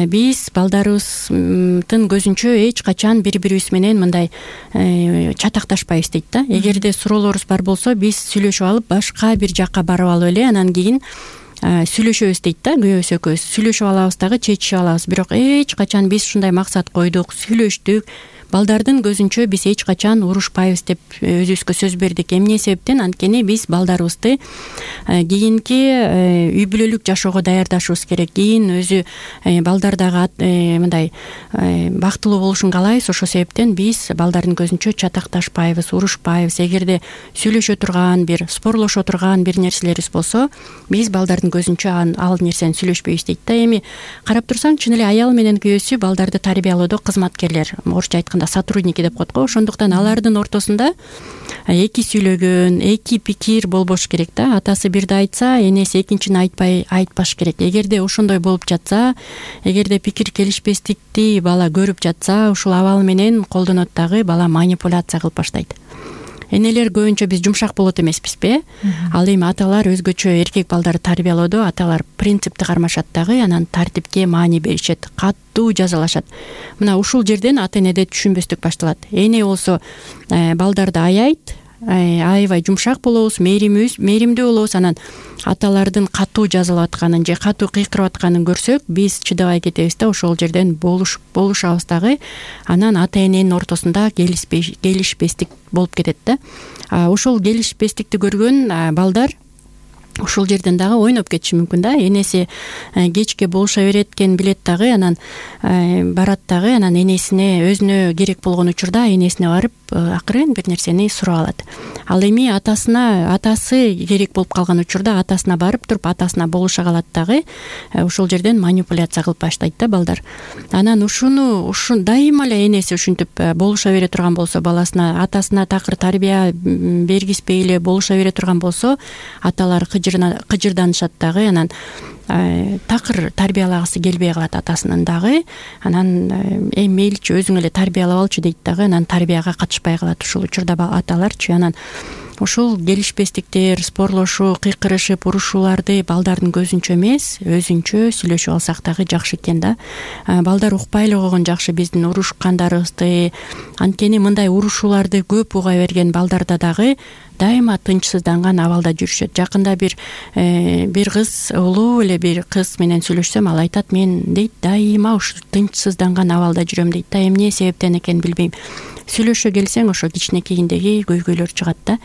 биз балдарыбыздын көзүнчө эч качан бири-бирибиз менен мындай чатакташпайбыз дейт да. Эгерде суроолорубуз бар болсо, биз сүйлөшүп алып башка бир жакка барып алып эле анан кийин сүйлөшөбүз дейт да. Күйөөбүз экөөбүз сүйлөшүп алабыз дагы, чечишип алабыз. Бирок эч качан биз ушундай максат койдук, сүйлөштүк. Балдардын көзүнчө биз эч качан урушпайбыз деп өзүбүзгө сөз бердик. Эмне себептен? Анткени биз балдарыбызды кийинки үй бүлөлүк жашоого даярдашыбыз керек. Кийин өзү балдар дагы мындай бактылуу болушун каалайбыз. Ошол себептен биз балдардын көзүнчө чатакташпайбыз, урушпайбыз. Эгерде сүйлөшө турган, бир спорлошо турган бир нерселерибиз болсо, биз балдардын көзүнчө ал нерсени сүйлөшпөйбүз дейт да. Эми карап турсаң, чын эле аял менен күйөөсү балдарды тарбиялоодо кызматкерлер, орусча айтканда сотрудники деп коет го. Ошондуктан алардын ортосунда эки сүйлөгөн, эки пикир болбош керек да. Атасы бирди айтса, энеси экинчини айтпаш керек. Эгерде ошондой болуп жатса, эгерде пикир келишпестикти бала көрүп жатса, ушул абал менен колдонот дагы, бала манипуляция кылып баштайт. Энелер көбүнчө биз жумшак болот эмеспизби? Ал эми аталар өзгөчө эркек балдарды тарбиялоодо аталар принципти кармашат дагы, анан тартипке маани беришет, катуу жазалашат. Мына ушул жерден ата энеде түшүнбөстүк башталат. Эне болсо балдарды аяйт, аябай жумшак болобуз, мээримдүү болобуз. Анан аталардын катуу жазалап атканын же катуу кыйкырып атканын көрсөк, биз чыдабай кетебиз да, ошол жерден болушабыз дагы. Анан ата эненин ортосунда келишпестик болуп кетет да. Ошол келишпестикти көргөн балдар ушул жерден дагы ойноп кетиши мүмкүн да. Энеси кечке болуша берет экен билет дагы, анан барат дагы, анан энесине өзүнө керек болгон учурда энесине барып акырын бир нерсени сурап алат. Ал эми атасы керек болуп калган учурда атасына барып туруп атасына болуша калат дагы. Ушул жерден манипуляция кылып баштайт да балдар. Анан ушуну дайыма эле энеси ушинтип болуша бере турган болсо, баласына, атасына такыр тарбия бергизбей эле болуша бере турган болсо, аталар кыжырданышат дагы. Анан такыр тарбиялагысы келбей калат атасынын дагы. Анан мейличи өзүң эле тарбиялап алчы дейт дагы. Анан тарбияга катышпай калат ушул учурда аталарчы. Анан ушул келишпестиктер, спорлошуу, кыйкырышып, урушууларды балдардын көзүнчө эмес, өзүнчө сүйлөшүп алсак дагы жакшы экен да. Балдар укпай эле койгон жакшы биздин урушкандарыбызды. Анткени мындай урушууларды көп уга берген балдарда дагы дайыма тынчсызданган абалда жүрүшөт. Жакында бир кыз, улуу эле бир кыз менен сүйлөшсөм, ал айтат: мен дейт дайыма ушу тынчсызданган абалда жүрөм дейт да. Эмне себептен экенин билбейм. Сүйлөшө келсең, ошо кичинекейиндеги көйгөйлөр чыгат да.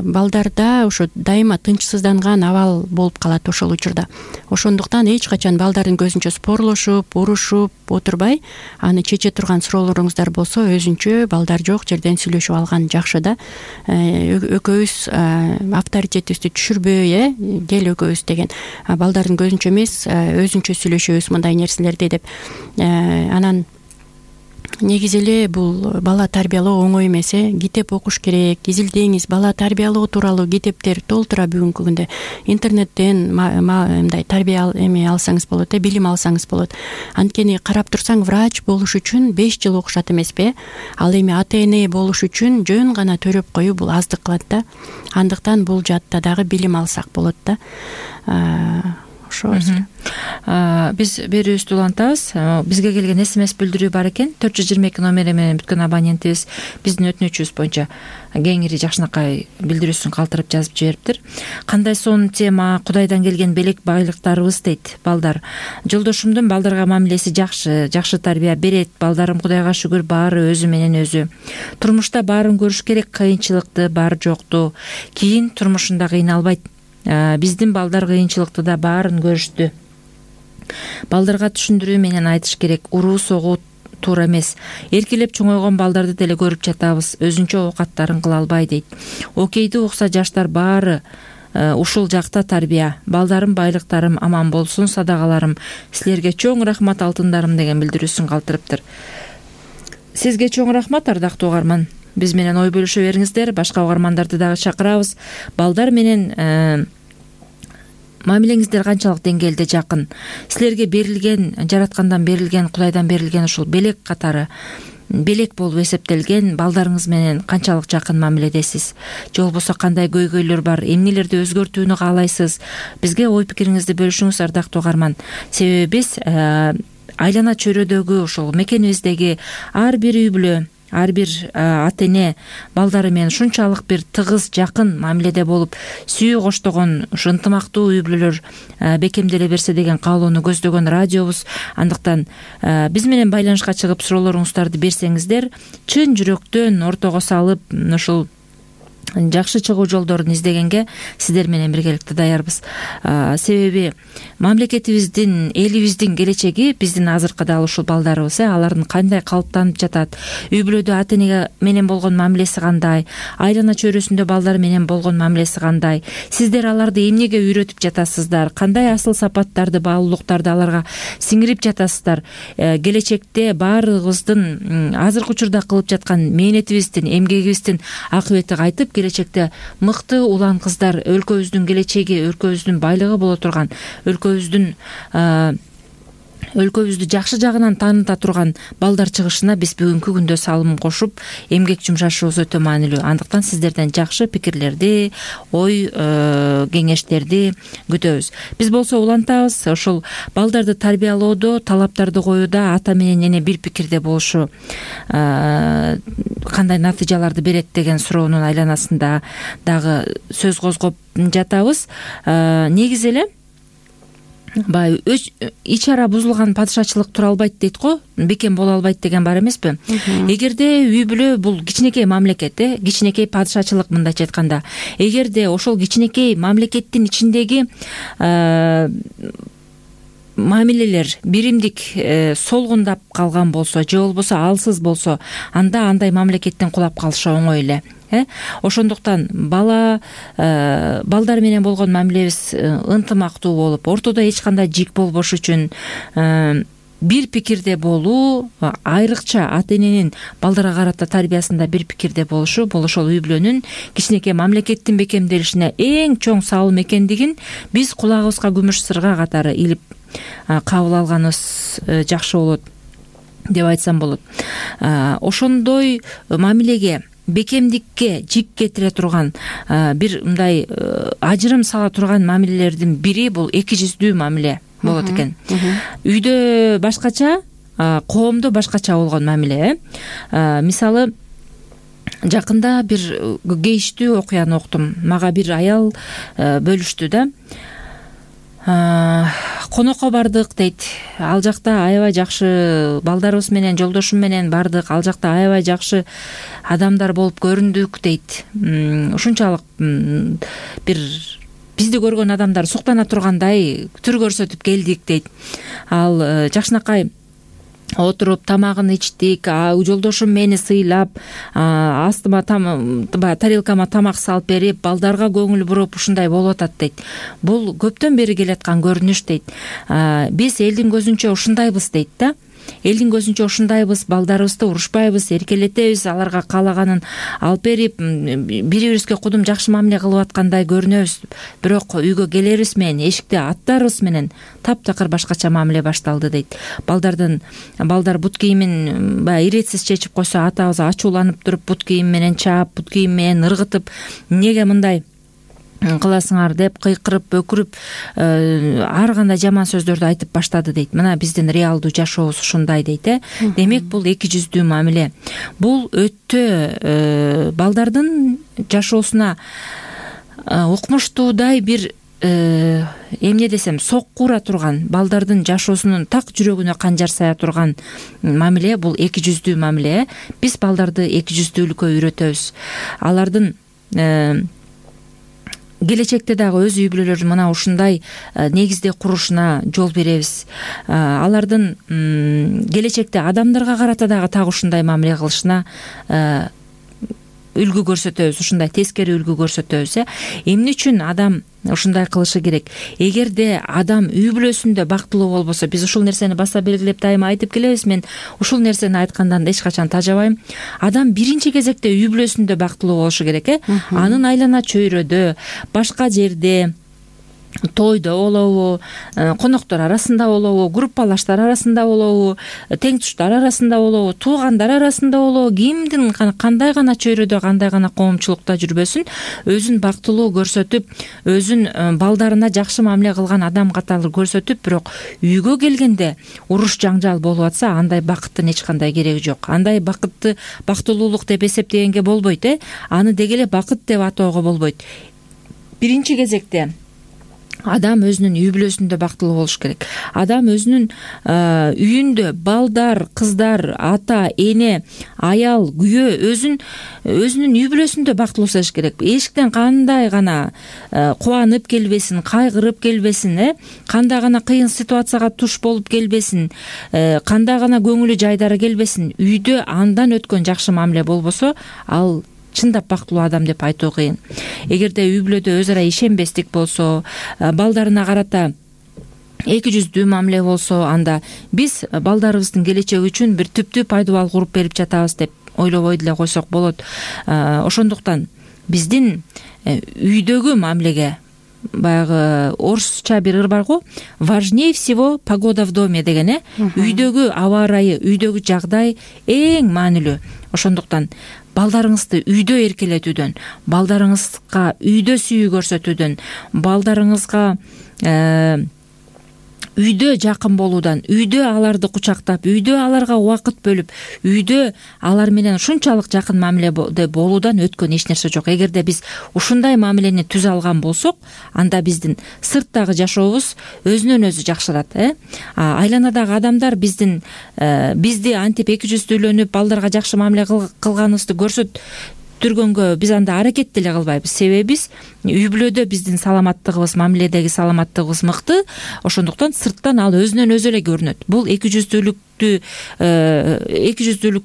Балдарда ошо дайыма тынчсызданган абал болуп калат ошол учурда. Ошондуктан эч качан балдардын көзүнчө спорлошуп, урушуп отурбай, аны чече турган суроолоруңуздар болсо, өзүнчө балдар жок жерден сүйлөшүп алган жакшы да. Экөөбүз авторитетибизди түшүрбөй, кел экөөбүз деген, балдардын көзүнчө эмес, өзүнчө сүйлөшөбүз мындай нерселерди деп. Анан негизи эле бул бала тарбиялоо оңой эмес. Китеп окуш керек, изилдеңиз. Бала тарбиялоо тууралуу китептер толтура бүгүнкү күндө. Интернеттен мындай тарбия алсаңыз болот, билим алсаңыз болот. Анткени карап турсаң, врач болуш үчүн 5 жыл окушат эмеспи? Ал эми ата эне болуш үчүн жөн гана төрөп коюу бул аздык кылат да. Андыктан бул жаатта дагы билим алсак болот да. окшобойбуз. Биз берүүбүздү улантабыз. Бизге келген SMS билдирүү бар экен. 422 номери менен бүткөн абонентибиз биздин өтүнүчүбүз боюнча кеңири жакшынакай билдирүүсүн калтырып жазып жибериптир. Кандай сонун тема, Кудайдан келген белек байлыктарыбыз дейт балдар. Жолдошумдун балдарга мамилеси жакшы тарбия берет. Балдарым Кудайга шүгүр баары өзү менен өзү. Турмушта баарын көрүш керек, кыйынчылыкты бар жокту. Кийин турмушунда кыйналбайт. Биздин балдар кыйынчылыкты да баарын көрүштү. Балдарга түшүндүрүү менен айтыш керек. Уруу согуу туура эмес. Эркелеп чоңойгон балдарды деле көрүп жатабыз. Өзүнчө оокаттарын кыла албай дейт. Окейди укса жаштар баары ушул жакта тарбия. Балдарым, байлыктарым аман болсун, садагаларым. Силерге чоң рахмат алтындарым деген билдирүүсүн калтырыптыр. Сизге чоң рахмат, ардактуу угарман. Биз менен ой бөлүшө бериңиздер. Башка угармандарды дагы чакырабыз. Балдар менен мамилеңиздер канчалык деңгээлде жакын? Силерге берилген, жараткандан берилген, Кудайдан берилген ушул белек катары белек болуп эсептелген балдарыңыз менен канчалык жакын мамиледесиз? Же болбосо кандай көйгөйлөр бар? Эмнелерди өзгөртүүнү каалайсыз? Бизге ой пикириңизди бөлүшүңүз, ардактуу угарман. Себеби биз айлана чөйрөдөгү ушул мекенибиздеги ар бир үй бүлө, ар бир ата эне балдары менен ушунчалык бир тыгыз жакын мамиледе болуп, сүйүү коштогон ушу ынтымактуу үй бүлөлөр бекемделе берсе деген каалоону көздөгөн радиобуз. Андыктан биз менен байланышка чыгып суроолоруңуздарды берсеңиздер, чын жүрөктөн ортого салып ушул жакшы чыгуу жолдорун издегенге сиздер менен биргеликте даярбыз. Себеби мамлекетибиздин, элибиздин келечеги биздин азыркы дал ушул балдарыбыз. Алардын кандай калыптанып жатат, үй бүлөдө ата эне менен болгон мамилеси кандай, айлана чөйрөсүндө балдар менен болгон мамилеси кандай, сиздер аларды эмнеге үйрөтүп жатасыздар, кандай асыл сапаттарды, баалуулуктарды аларга сиңирип жатасыздар. Келечекте баарыбыздын азыркы учурда кылып жаткан мээнетибиздин, эмгегибиздин акыбети кайтып, келечекте мыкты улан кыздар, өлкөбүздүн келечеги, өлкөбүздүн байлыгы боло турган, өлкөбүздү жакшы жагынан тааныта турган балдар чыгышына биз бүгүнкү күндө салым кошуп, эмгек жумшашыбыз өтө маанилүү. Андыктан сиздерден жакшы пикирлерди, ой кеңештерди күтөбүз. Биз болсо улантабыз, ошол балдарды тарбиялоодо, талаптарды коюуда ата менен эне бир пикирде болушу кандай натыйжаларды берет деген суроонун айланасында дагы сөз козгоп жатабыз. Негизи эле баягы ич ара бузулган падышачылык тура албайт дейт го, бекем боло албайт деген бар эмеспи? Эгерде үй бүлө бул кичинекей мамлекет, кичинекей падышачылык мындайча айтканда, эгерде ошол кичинекей мамлекеттин ичиндеги мамилелер биримдик солгундап калган болсо, же болбосо алсыз болсо, анда андай мамлекеттен кулап калышы оңой эле. Ошондуктан балдар менен болгон мамилебиз ынтымактуу болуп, ортодо эч кандай жик болбош үчүн бир пикирде болуу, айрыкча ата эненин балдарга карата тарбиясында бир пикирде болушу, бул ошол үй бүлөнүн кичинекей мамлекеттин бекемделишине эң чоң салым экендигин биз кулагыбызга күмүш сырга катары илип кабыл алганыбыз жакшы болот деп айтсам болот. Ошондой мамилеге, бекемдикке жик кетире турган, бир мындай ажырым сала турган мамилелердин бири бул эки жүздүү мамиле болот экен. Үйдө башкача, коомдо башкача болгон мамиле. Мисалы, жакында бир кейиштүү окуяны уктум. Мага бир аял бөлүштү да. Конокко бардык дейт. Ал жакта аябай жакшы балдарыбыз менен, жолдошум менен бардык. Ал жакта аябай жакшы адамдар болуп көрүндүк дейт. Ушунчалык бир бизди көргөн адамдар суктана тургандай түр көрсөтүп келдик дейт. Ал жакшынакай отуруп тамагын ичтик, жолдошум мени сыйлап, астыма тарелкама тамак салып берип, балдарга көңүл буруп ушундай болуп атат дейт. Бул көптөн бери келаткан көрүнүш дейт. Биз элдин көзүнчө ушундайбыз дейт да. Элдин көзүнчө ушундайбыз, балдарыбызды урушпайбыз, эркелетебиз, аларга каалаганын алып берип, бири-бирибизге кудум жакшы мамиле кылып аткандай көрүнөбүз. Бирок үйгө келерибиз менен, эшикте аттарыбыз менен таптакыр башкача мамиле башталды дейт. Балдар бут кийимин баягы иретсиз чечип койсо, атабыз ачууланып туруп бут кийим менен чаап, бут кийим менен ыргытып, неге мындай кыласыңар деп кыйкырып өкүрүп ар кандай жаман сөздөрдү айтып баштады дейт. Мына биздин реалдуу жашообуз ушундай дейт. Демек бул эки жүздүү мамиле. Бул өтө балдардын жашоосуна укмуштуудай бир эмне десем, сокку ура турган, балдардын жашоосунун так жүрөгүнө канжар сая турган мамиле бул эки жүздүү мамиле. Биз балдарды эки жүздүүлүккө үйрөтөбүз. Алардын келечекте дагы өз үй бүлөлөрүн мына ушундай негизде курушуна жол беребиз. Алардын келечекте адамдарга карата дагы так ушундай мамиле кылышына үлгү көрсөтөбүз, ушундай тескери үлгү көрсөтөбүз. Эмне үчүн адам ушундай кылышы керек? Эгерде адам үй бүлөсүндө бактылуу болбосо, биз ушул нерсени баса белгилеп дайыма айтып келебиз. Мен ушул нерсени айткандан эч качан тажабайм. Адам биринчи кезекте үй бүлөсүндө бактылуу болушу керек. Анын айлана чөйрөдө, башка жерде, тойдо болобу, коноктор арасында болобу, группалаштар арасында болобу, тең туштар арасында болобу, туугандар арасында болобу, кимдин кандай гана чөйрөдө, кандай гана коомчулукта жүрбөсүн, өзүн бактылуу көрсөтүп, өзүн балдарына жакшы мамиле кылган адам катары көрсөтүп, бирок үйгө келгенде уруш жаңжал болуп атса, андай бакыттын эч кандай кереги жок. Андай бакытты бактылуулук деп эсептегенге болбойт. Аны деги эле бакыт деп атоого болбойт. Биринчи кезекте адам өзүнүн үй бүлөсүндө бактылуу болуш керек. Адам өзүнүн үйүндө балдар, кыздар, ата, эне, аял, күйөө өзүнүн үй бүлөсүндө бактылуу болуш керек. Эшиктен кандай гана кубанып келбесин, кайгырып келбесин, кандай гана кыйын ситуацияга туш болуп келбесин, кандай гана көңүлү жайдары келбесин, үйдө андан өткөн жакшы мамиле болбосо, ал чындап бактылуу адам деп айтуу кыйын. Эгерде үй бүлөдө өз ара ишенбестик болсо, балдарына карата эки жүздүү мамиле болсо, анда биз балдарыбыздын келечеги үчүн бир түптүү пайдубал куруп берип жатабыз деп ойлобой деле койсок болот. Ошондуктан биздин үйдөгү мамилеге, баягы орусча бир ыр бар го, важнее всего погода в доме деген. Үйдөгү аба ырайы, үйдөгү жагдай эң маанилүү. Ошондуктан балдарыңызды үйдө эркелетүүдөн, балдарыңызга үйдө сүйүү көрсөтүүдөн, балдарыңызга үйдө жакын болуудан, үйдө аларды кучактап, үйдө аларга убакыт бөлүп, үйдө алар менен ушунчалык жакын мамиледе болуудан өткөн эч нерсе жок. Эгерде биз ушундай мамилени түзө алган болсок, анда биздин сырттагы жашообуз өзүнөн өзү жакшырат. Айланадагы адамдар бизди антип эки жүздүүлөнүп, балдарга жакшы мамиле кылганыбызды көрсөттүргөнгө биз анда аракет деле кылбайбыз. Себеби биз үй бүлөдө биздин саламаттыгыбыз, мамиледеги саламаттыгыбыз мыкты. Ошондуктан сырттан ал өзүнөн өзү эле көрүнөт. Бул эки жүздүүлүккө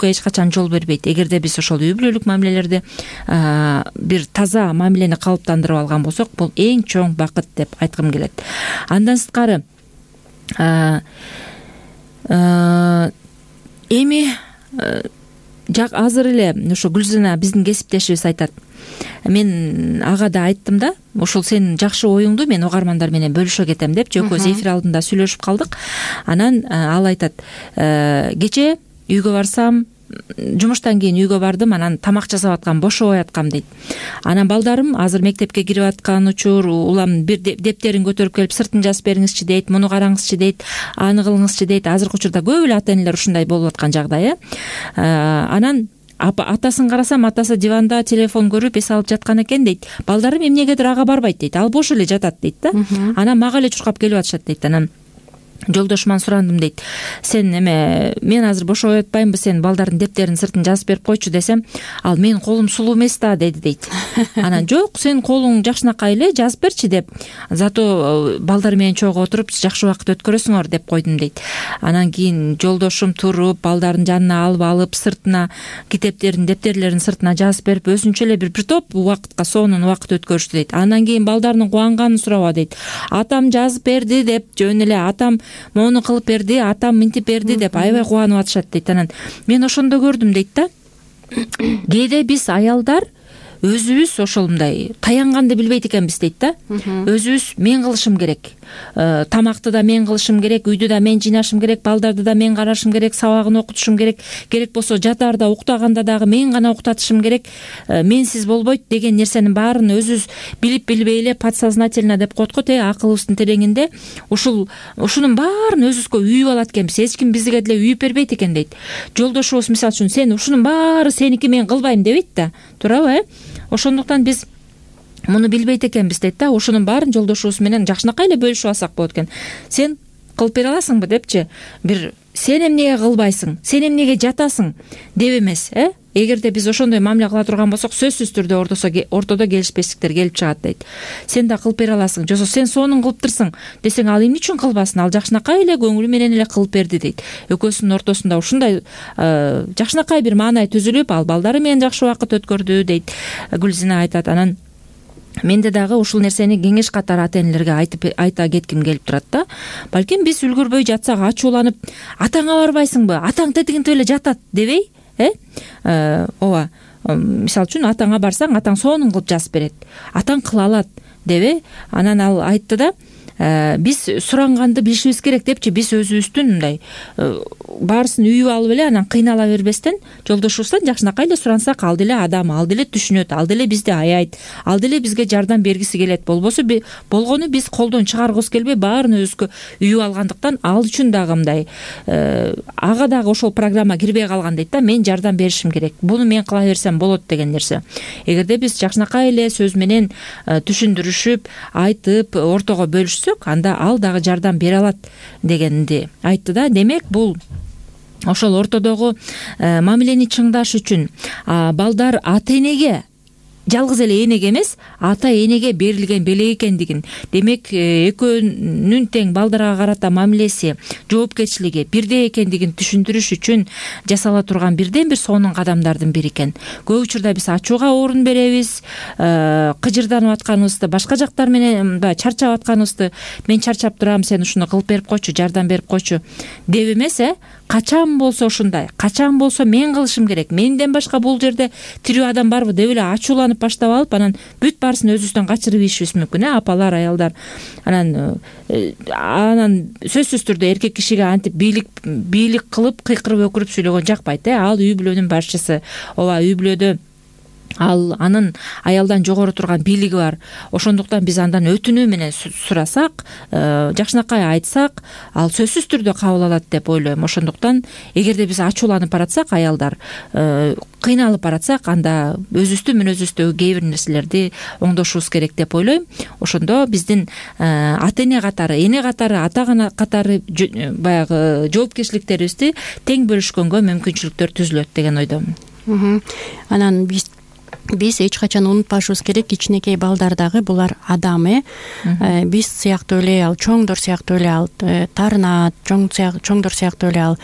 эч качан жол бербейт. Эгерде биз ошол үй бүлөлүк мамилелерди бир таза мамилени калыптандырып алган болсок, бул эң чоң бакыт деп айткым келет. Андан сырткары эми азыр эле ошо Гүлзина биздин кесиптешибиз айтат. Мен ага да айттым да, ушул сенин жакшы оюңду мен угармандар менен бөлүшө кетем деп, жөкөбүз эфир алдында сүйлөшүп калдык. Анан ал айтат, кече үйгө барсам, жумуштан кийин үйгө бардым, анан тамак жасап аткам, бошобой аткам дейт. Анан балдарым азыр мектепке кирип аткан учур, улам бир дептерин көтөрүп келип, сыртын жазып бериңизчи дейт, муну караңызчы дейт, аны кылыңызчы дейт. Азыркы учурда көп эле ата энелер ушундай болуп аткан жагдай. Анан атасын карасам, атасы диванда телефон көрүп эс алып жаткан экен дейт. Балдарым эмнегедир ага барбайт дейт, ал бош эле жатат дейт да. Анан мага эле чуркап келип атышат дейт. Анан жолдошуман сурандым дейт, сен мен азыр бошобой атпаймынбы, сен балдардын дептерин сыртын жазып берип койчу десем, ал менин колум сулуу эмес да деди дейт. Анан жок, сенин колуң жакшынакай эле, жазып берчи деп, зато балдар менен чогуу отуруп жакшы убакыт өткөрөсүңөр деп койдум дейт. Анан кийин жолдошум туруп, балдардын жанына алып сыртына дептерлерин сыртына жазып берип, өзүнчө эле бир топ убакытка сонун убакыт өткөрүштү дейт. Андан кийин балдардын кубанганын сураба дейт. Атам жазып берди деп, жөн эле атам моуну кылып берди, атам мынтип берди деп аябай кубанып атышат дейт. Анан мен ошондо көрдүм дейт да, кээде биз аялдар өзүбүз ошол мындай таянганды билбейт экенбиз дейт да. Өзүбүз мен кылышым керек, тамакты да мен кылышым керек, үйдү да мен жыйнашым керек, балдарды да мен карашым керек, сабагын окутушум керек, керек болсо жатаарда уктаганда дагы мен гана уктатышым керек, менсиз болбойт деген нерсенин баарын өзүбүз билип билбей эле подсознательно деп коет го, акылыбыздын тереңинде ушунун баарын өзүбүзгө үйүп алат экенбиз, эч ким бизге деле үйүп бербейт экен дейт. Жолдошубуз мисалы үчүн сен ушунун баары сеники, мен кылбайм дебейт да, туурабы? Ошондуктан биз муну билбейт экенбиз дейт да. Ошонун баарын жолдошубуз менен жакшынакай эле бөлүшүп алсак болот экен. Сен кылып бере аласыңбы депчи, бир сен эмнеге кылбайсың, сен эмнеге жатасың деп эмес. Эгерде биз ошондой мамиле кыла турган болсок, сөзсүз түрдө ортодо келишпештиктер келип чыгат дейт. Сен да кылып бере аласың, жосо сен сонун кылыптырсың десең, ал эмне үчүн кылбасын, ал жакшынакай эле көңүлү менен эле кылып берди дейт. Экөөсүнүн ортосунда ушундай жакшынакай бир маанай түзүлүп, ал балдары менен жакшы убакыт өткөрдү дейт. Гүлзина айтат. Анан менде дагы ушул нерсени кеңеш катары ата энелерге айта кетким келип турат да. Балким биз үлгүрбөй жатсак, ачууланып, атаңа барбайсыңбы, атаң тетигинтип эле жатат дебей, ооба, мисалы үчүн атаңа барсаң, атаң сонун кылып жазып берет, атаң кыла алат дебей. Анан ал айтты да, биз суранганды билишибиз керек депчи, биз өзүбүздүн мындай баарысын үйүп алып эле анан кыйнала бербестен, жолдошубуздан жакшынакай эле сурансак, ал деле адам, ал деле түшүнөт, ал деле бизди аяйт, ал деле бизге жардам бергиси келет. Болбосо болгону биз колдон чыгаргыбыз келбей баарын өзүбүзгө үйүп алгандыктан, ал үчүн дагы мындай ага дагы ошол программа кирбей калган дейт да. Мен жардам беришим керек, буну мен кыла берсем болот деген нерсе. Эгерде биз жакшынакай эле сөз менен түшүндүрүшүп, айтып, ортого бөлүшсөк, анда ал дагы жардам бере алат дегенди айтты да. Демек, бул ошол ортодогу мамилени чыңдаш үчүн балдар ата энеге, жалгыз эле энеге эмес, ата энеге берилген белек экендигин, демек экөөнүн тең балдарга карата мамилеси, жоопкерчилиги бирдей экендигин түшүндүрүш үчүн жасала турган бирден бир сонун кадамдардын бири экен. Көп учурда биз ачууга орун беребиз, кыжырданып атканыбызды, башка жактар менен чарчап атканыбызды, мен чарчап турам, сен ушуну кылып берип койчу, жардам берип койчу деп эмес, качан болсо ушундай, качан болсо мен кылышым керек, менден башка бул жерде тирүү адам барбы деп эле ачууланып баштап алып, анан бүт баарысын өзүбүздөн качырып ийишибиз мүмкүн, апалар, аялдар. Анан сөзсүз түрдө эркек кишиге антип бийлик кылып, кыйкырып өкүрүп сүйлөгөн жакпайт. Ал үй бүлөнүн башчысы. Ооба, үй бүлөдө ал анын аялдан жогору турган бийлиги бар. Ошондуктан биз андан өтүнүү менен сурасак, жакшынакай айтсак, ал сөзсүз түрдө кабыл алат деп ойлойм. Ошондуктан эгерде биз ачууланып баратсак, аялдар кыйналып баратсак, анда өзүбүздүн мүнөзүбүздөгү кээ бир нерселерди оңдошубуз керек деп ойлойм. Ошондо биздин ата эне катары, эне катары, ата катары баягы жоопкерчиликтерибизди тең бөлүшкөнгө мүмкүнчүлүктөр түзүлөт деген ойдомун. Анан биз эч качан унутпашыбыз керек, кичинекей балдар дагы булар адам. Биз сыяктуу эле, ал чоңдор сыяктуу эле ал таарынат, чоңдор сыяктуу эле ал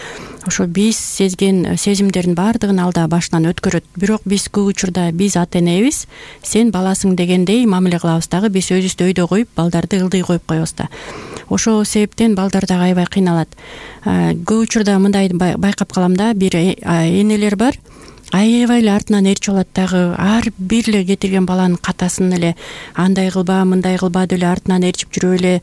ошо биз сезген сезимдердин баардыгын ал да башынан өткөрөт. Бирок биз көп учурда биз ата энебиз, сен баласың дегендей мамиле кылабыз дагы, биз өзүбүздү өйдө коюп, балдарды ылдый коюп коебуз да. Ошол себептен балдар дагы аябай кыйналат. Көп учурда мындай байкап калам да, бир энелер бар, аябай эле артынан ээрчип алат дагы, ар бир эле кетирген баланын катасын эле андай кылба, мындай кылба деп эле артынан ээрчип жүрүп эле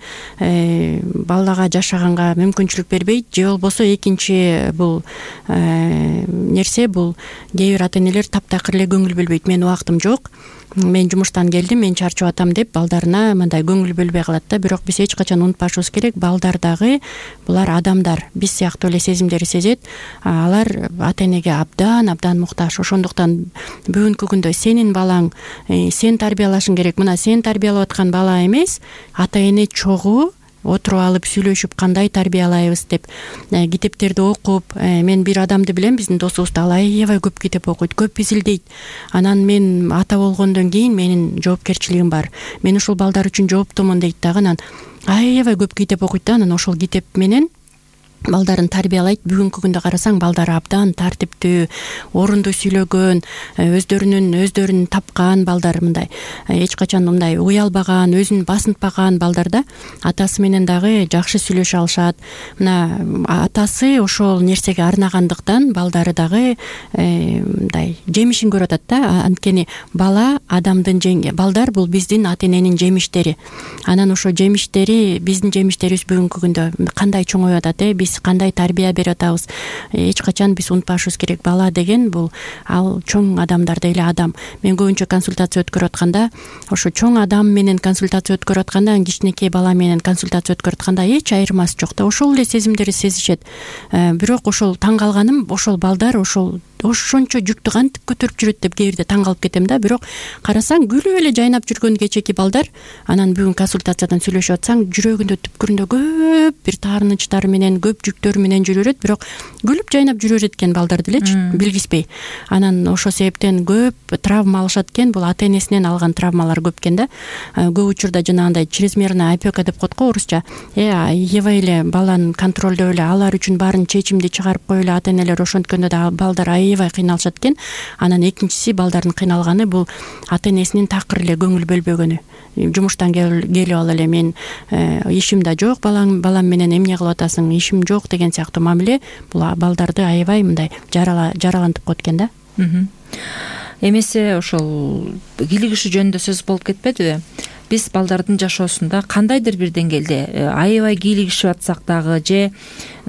балага жашаганга мүмкүнчүлүк бербейт. Же болбосо экинчи бул нерсе, бул кээ бир ата энелер таптакыр эле көңүл бөлбөйт. Менин убактым жок, мен жумуштан келдим, мен чарчап атам деп балдарына мындай көңүл бөлбөй калат да. Бирок биз эч качан унутпашыбыз керек, балдар дагы булар адамдар, биз сыяктуу эле сезимдери сезет. Алар ата энеге абдан муктаж. Ошондуктан бүгүнкү күндө сенин балаң, сен тарбиялашың керек. Мына сен тарбиялап аткан бала эмес, ата эне чогуу отуруп алып сүйлөшүп кандай тарбиялайбыз деп китептерди окуп, мен бир адамды билем, биздин досубуз да, ал аябай көп китеп окуйт, көп изилдейт. Анан мен ата болгондон кийин менин жоопкерчилигим бар, мен ушул балдар үчүн жооптумун дейт дагы. Анан аябай көп китеп окуйт да, анан ошол китеп менен балдарын тарбиялайт. Бүгүнкү күндө карасаң балдар абдан тартиптүү, орунду сүйлөгөн, өздөрүн тапкан балдар, мындай эч качан мындай уялбаган, өзүн басынтпаган балдар да атасы менен дагы жакшы сүйлөшө алышат. Мына атасы ошол нерсеге арнагандыктан балдары дагы мындай жемишин көрүп атат да. Анткени балдар бул биздин ата эненин жемиштери. Анан ошо жемиштери, биздин жемиштерибиз бүгүнкү күндө кандай чоңоюп атат, биз кандай тарбия берип атабыз, эч качан биз унутпашыбыз керек. Бала деген бул ал чоң адамдардай эле адам. Мен көбүнчө консультация өткөрүп атканда, ошо чоң адам менен консультация өткөрүп атканда, кичинекей бала менен консультация өткөрүп атканда эч айырмасы жок да. Ошол эле сезимдерди сезишет. Бирок ошол таң калганым, ошол балдар ошончо жүктү кантип көтөрүп жүрөт деп кээ бирде таң калып кетем да. Бирок карасаң күлүп эле жайнап жүргөн кечеки балдар, анан бүгүн консультациядан сүйлөшүп атсаң, жүрөгүндө түпкүрүндө көп бир таарынычтар менен, көп жүктөр менен жүрө берет, бирок күлүп жайнап жүрө берет экен балдар делечи, билгизбей. Анан ошол себептен көп травма алышат экен. Бул ата энесинен алган травмалар көп экен да. Көп учурда жанагындай чрезмерная опека деп коет го орусча. Аябай эле баланы контролдоп эле, алар үчүн баарын чечимди чыгарып коюп эле ата энелер ошонткөндө да балдар аябай кыйналышат экен. Анан экинчиси, балдардын кыйналганы бул ата энесинин такыр эле көңүл бөлбөгөнү. Жумуштан келип ал эле мен ишим да жок, балам менен эмне кылып атасың, ишим жок деген сыяктуу мамиле бул балдарды аябай мындай жаралантып коет экен да. Эмесе ошол кийлигишүү жөнүндө сөз болуп кетпедиби? Биз балдардын жашоосунда кандайдыр бир деңгээлде аябай кийлигишип атсак дагы же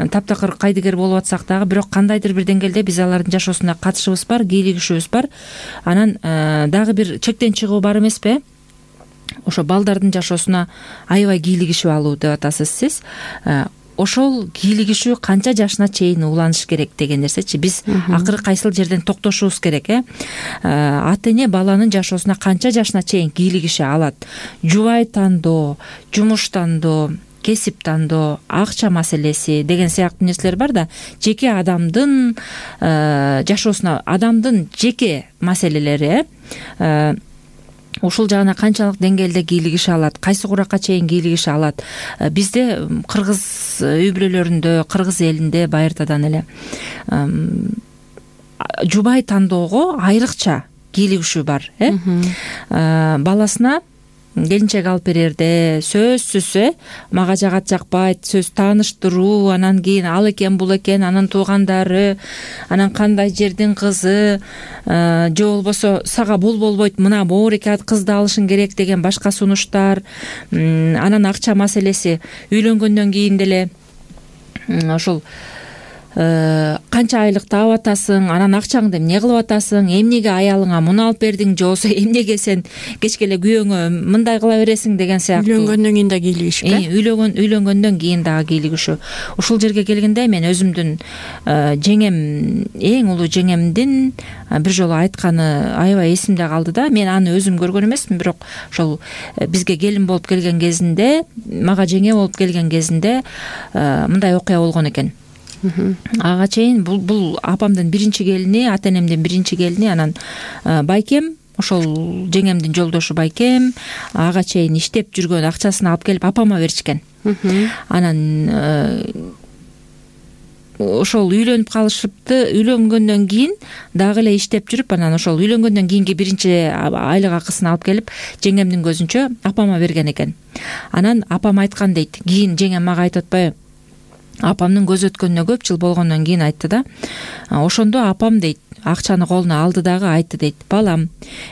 таптакыр кайдыгер болуп атсак дагы, бирок кандайдыр бир деңгээлде биз алардын жашоосуна катышыбыз бар, кийлигишүүбүз бар. Анан дагы бир чектен чыгуу бар эмеспи? Ошо балдардын жашоосуна аябай кийлигишип алуу деп атасыз сиз. Ошол кийлигишүү канча жашына чейин уланыш керек деген нерсечи. Биз акыры кайсыл жерден токтошубуз керек, ата эне баланын жашоосуна канча жашына чейин кийлигише алат? Жубай тандоо, жумуш тандоо, кесип тандоо, акча маселеси деген сыяктуу нерселер бар да. Жеке адамдын жашоосуна, адамдын жеке маселелери ушул жагына канчалык деңгээлде кийлигише алат, кайсы куракка чейин кийлигише алат? Бизде кыргыз үй бүлөлөрүндө, кыргыз элинде байыртадан эле жубай тандоого айрыкча кийлигишүү бар. Баласына келинчек алып берерде сөзсүз мага жагат жакпайт, сөз тааныштыруу, анан кийин ал экен бул экен, анан туугандары, анан кандай жердин кызы, же болбосо сага бул болбойт, мына моореке кызды алышың керек деген башка сунуштар. Анан акча маселеси, үйлөнгөндөн кийин деле ошол канча айлык таап атасың, анан акчаңды эмне кылып атасың, эмнеге аялыңа муну алып бердиң, же болбосо эмнеге сен кечке эле күйөөңө мындай кыла бересиң деген сыяктуу. Үйлөнгөндөн кийин да кийлигишип, үйлөнгөндөн кийин дагы кийлигишүү. Ушул жерге келгенде мен өзүмдүн жеңем, эң улуу жеңемдин бир жолу айтканы аябай эсимде калды да. Мен аны өзүм көргөн эмесмин, бирок ошол бизге келин болуп келген кезинде, мага жеңе болуп келген кезинде мындай окуя болгон экен. Ага чейин бул апамдын биринчи келини, ата энемдин биринчи келини, анан байкем, ошол жеңемдин жолдошу байкем ага чейин иштеп жүргөн акчасын алып келип апама беришкен. Анан ошол үйлөнүп калышыпты. Үйлөнгөндөн кийин дагы эле иштеп жүрүп, анан ошол үйлөнгөндөн кийинки биринчи айлык акысын алып келип жеңемдин көзүнчө апама берген экен. Анан апам айткан дейт. Кийин жеңем мага айтып атпайбы? Апамдын көз өткөнүнө көп жыл болгондон кийин айтты да. Ошондо апам дейт, акчаны колуна алды дагы айтты дейт. Балам,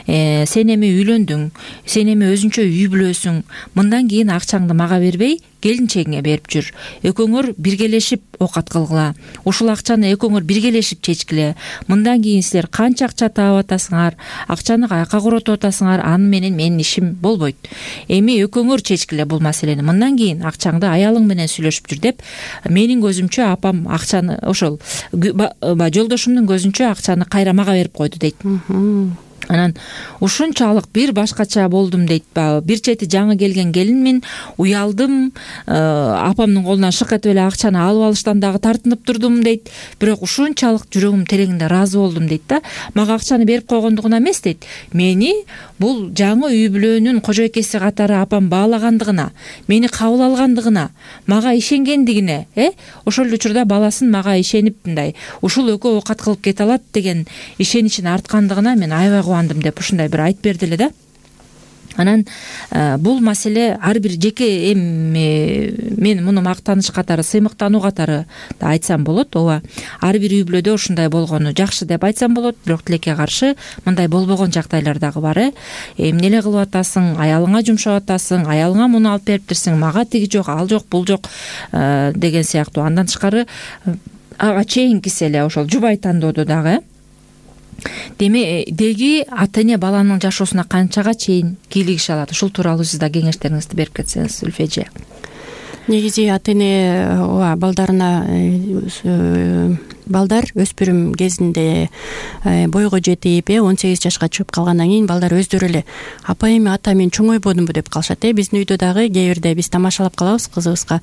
сен эми үйлөндүң, сен эми өзүнчө үй бүлөсүң. Мындан кийин акчаңды мага бербей, келинчегиңе берип жүр. Экөөңөр биргелешип оокат кылгыла. Ушул акчаны экөөңөр биргелешип чечкиле. Мындан кийин силер канча акча таап атасыңар, акчаны каяка коротуп атасыңар, аны менен менин ишим болбойт. Эми экөөңөр чечкиле бул маселени. Мындан кийин акчаңды аялың менен сүйлөшүп жүр деп, менин көзүмчө апам акчаны ошол жолдошумдун көзүнчө акчаны кайра мага берип койду дейт. Анан ушунчалык бир башкача болдум дейт. Бир чети жаңы келген келинмин, уялдым, апамдын колунан шык этип эле акчаны алып алыштан дагы тартынып турдум дейт. Бирок ушунчалык жүрөгүм тереңинде ыраазы болдум дейт да. Мага акчаны берип койгондугуна эмес дейт. Мени бул жаңы үй бүлөнүн кожойкеси катары апам баалагандыгына, мени кабыл алгандыгына, мага ишенгендигине, ошол эле учурда баласын мага ишенип мындай ушул экөө оокат кылып кете алат деген ишеничин арткандыгына мен аябай кубандым деп ушундай бир айтып берди эле да. Анан бул маселе ар бир жеке мен муну мактаныш катары, сыймыктануу катары да айтсам болот. Ооба, ар бир үй бүлөдө ушундай болгону жакшы деп айтсам болот, бирок тилекке каршы мындай болбогон жагдайлар дагы бар. Эмне эле кылып атасың, аялыңа жумшап атасың, аялыңа муну алып бериптирсиң, мага тиги жок, ал жок, бул жок деген сыяктуу. Андан тышкары ага чейинкиси эле ошол жубай тандоодо дагы деги ата эне баланын жашоосуна канчага чейин кийлигише алат? Ушул тууралуу сиз да кеңештериңизди берип кетсеңиз, Үлфе эже. Негизи ата эне балдарына балдар өспүрүм кезинде бойго жетип 18 жашка чыгып калгандан кийин балдар өздөрү эле апа эми ата мен чоңойбодумбу деп калышат. Биздин үйдө дагы кээ бирде биз тамашалап калабыз, кызыбызга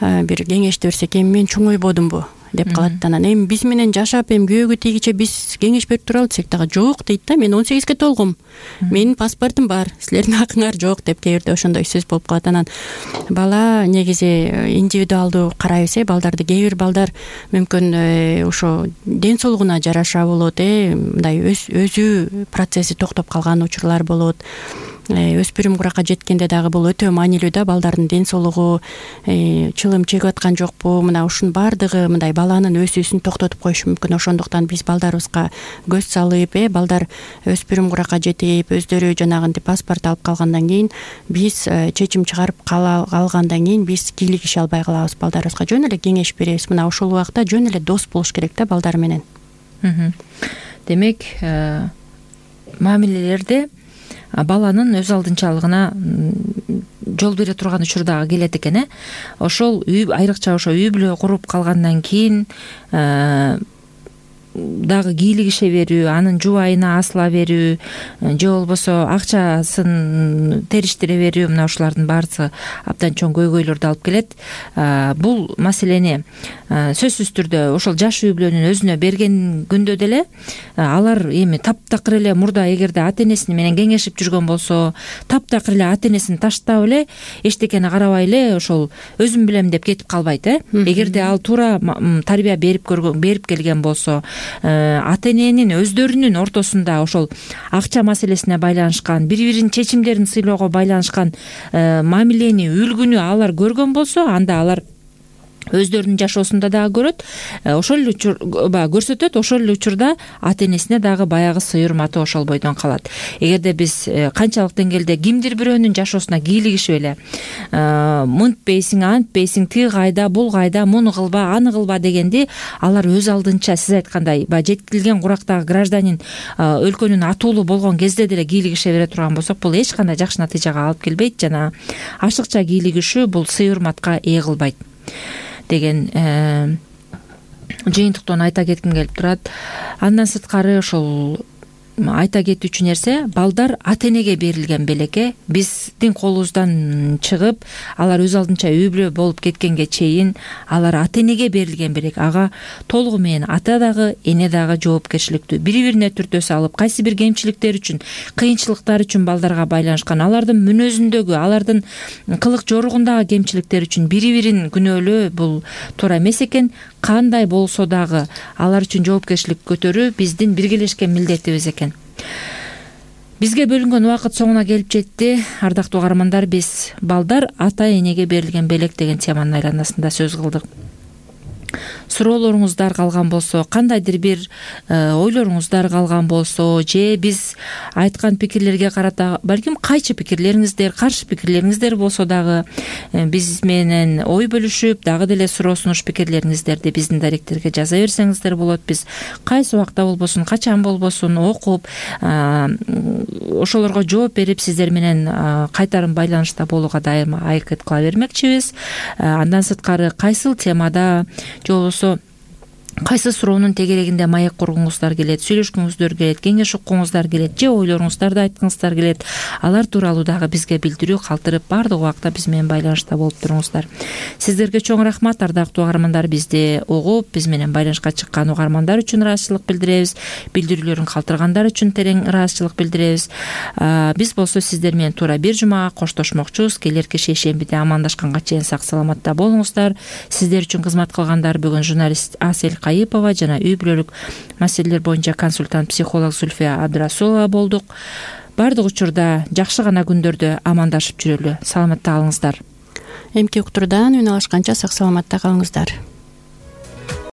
бир кеңешти берсек, эми мен чоңойбодумбу деп калат. Анан эми биз менен жашап эми күйөөгө тийгиче биз кеңеш берип туралы десек дагы жок дейт да. Мен 18ге толгом, менин паспортум бар, силердин акыңар жок деп кээ бирде ошондой сөз болуп калат. Анан бала негизи индивидуалдуу карайбыз. Балдарды кээ бир балдар мүмкүн ошо ден соолугуна жараша болот, мындай өзү процесси токтоп калган учурлар болот. Өспүрүм куракка жеткенде дагы бул өтө маанилүү да. Балдардын ден соолугу чылым чегип аткан жокпу, мына ушунун баардыгы мындай баланын өсүүсүн токтотуп коюшу мүмкүн. Ошондуктан биз балдарыбызга көз салып, балдар өспүрүм куракка жетип өздөрү жанагынтип паспорт алып калгандан кийин биз чечим чыгарып калгандан кийин биз кийлигише албай калабыз. Балдарыбызга жөн эле кеңеш беребиз. Мына ошол убакта жөн эле дос болуш керек да балдар менен. Демек, мамилелерде баланын өз алдынчалыгына жол бере турган учур дагы келет экен. Ошол айрыкча ошо үй бүлө куруп калгандан кийин дагы кийлигише берүү, анын жубайына асыла берүү же болбосо акчасын териштире берүү, мына ушулардын баарысы абдан чоң көйгөйлөрдү алып келет. Бул маселени сөзсүз түрдө ошол жаш үй бүлөнүн өзүнө берген күндө деле алар эми таптакыр эле мурда эгерде ата энеси менен кеңешип жүргөн болсо, таптакыр эле ата энесин таштап эле эчтекени карабай эле ошол өзүм билем деп кетип калбайт. Эгерде ал туура тарбия берип келген болсо, ата эненин өздөрүнүн ортосунда ошол акча маселесине байланышкан, бири-биринин чечимдерин сыйлоого байланышкан мамилени, үлгүнү алар көргөн болсо, анда алар өздөрүнүн жашоосунда дагы көрөт, ошол эле көрсөтөт. Ошол эле учурда ата энесине дагы баягы сый урматы ошол бойдон калат. Эгерде биз канчалык деңгээлде кимдир бирөөнүн жашоосуна кийлигишип эле мынтпейсиң, антпейсиң, тиги кайда, бул кайда, муну кылба, аны кылба дегенди алар өз алдынча сиз айткандай баягы жеткилген курактагы гражданин өлкөнүн атуулу болгон кезде деле кийлигише бере турган болсок, бул эч кандай жакшы натыйжага алып келбейт. Жана ашыкча кийлигишүү бул сый урматка ээ кылбайт деген жыйынтыктан айта кетким келип турат. Андан сырткары ошол айта кетүүчү нерсе, балдар ата энеге берилген белекке биздин колубуздан чыгып, алар өз алдынча үй бүлө болуп кеткенге чейин алар ата энеге берилген белек. Ага толугу менен ата дагы, эне дагы жоопкерчиликтүү, бири-бирине түртө салып, кайсы бир кемчиликтер үчүн, кыйынчылыктар үчүн балдарга байланышкан, алардын мүнөзүндөгү, алардын кылык жоругундагы кемчиликтер үчүн бири-бирин күнөөлөө бул туура эмес экен. Кандай болсо дагы алар үчүн жоопкерчилик көтөрүү биздин биргелешкен милдетибиз экен. Бизге бөлүнгөн убакыт соңуна келип жетти. Ардактуу угармандар, биз балдар ата энеге берилген белек деген теманын айланасында сөз кылдык. Суроолоруңуздар калган болсо, кандайдыр бир ойлоруңуздар калган болсо, же биз айткан пикирлерге карата балким кайчы пикирлериңиздер, каршы пикирлериңиздер болсо дагы биз менен ой бөлүшүп, дагы деле суроо сунуш пикирлериңиздерди биздин даректерге жаза берсеңиздер болот. Биз кайсы убакта болбосун, качан болбосун окуп, ошолорго жооп берип, сиздер менен кайтарым байланышта болууга дайыма аракет кыла бермекчибиз. Андан сырткары кайсыл темада же болбосо кайсы суроонун тегерегинде маек кургуңуздар келет, сүйлөшкүңүздөр келет, кеңеш уккуңуздар келет же ойлоруңуздарды айткыңыздар келет, алар тууралуу дагы бизге билдирүү калтырып баардык убакта биз менен байланышта болуп туруңуздар. Сиздерге чоң рахмат, ардактуу угармандар. Бизди угуп биз менен байланышка чыккан угармандар үчүн ыраазычылык билдиребиз, билдирүүлөрүн калтыргандар үчүн терең ыраазычылык билдиребиз. Биз болсо сиздер менен туура бир жумага коштошмокчубуз. Келерки шейшембиде амандашканга чейин сак саламатта болуңуздар. Сиздер үчүн кызмат кылгандар бүгүн журналист Асель Кайыпова жана үй бүлөлүк маселелер боюнча консультант психолог Зульфия Абдрасулова болдук. Баардык учурда жакшы гана күндөрдө амандашып жүрөлү. Саламатта калыңыздар. Эмки уктурдан үн алышканча сак саламатта калыңыздар.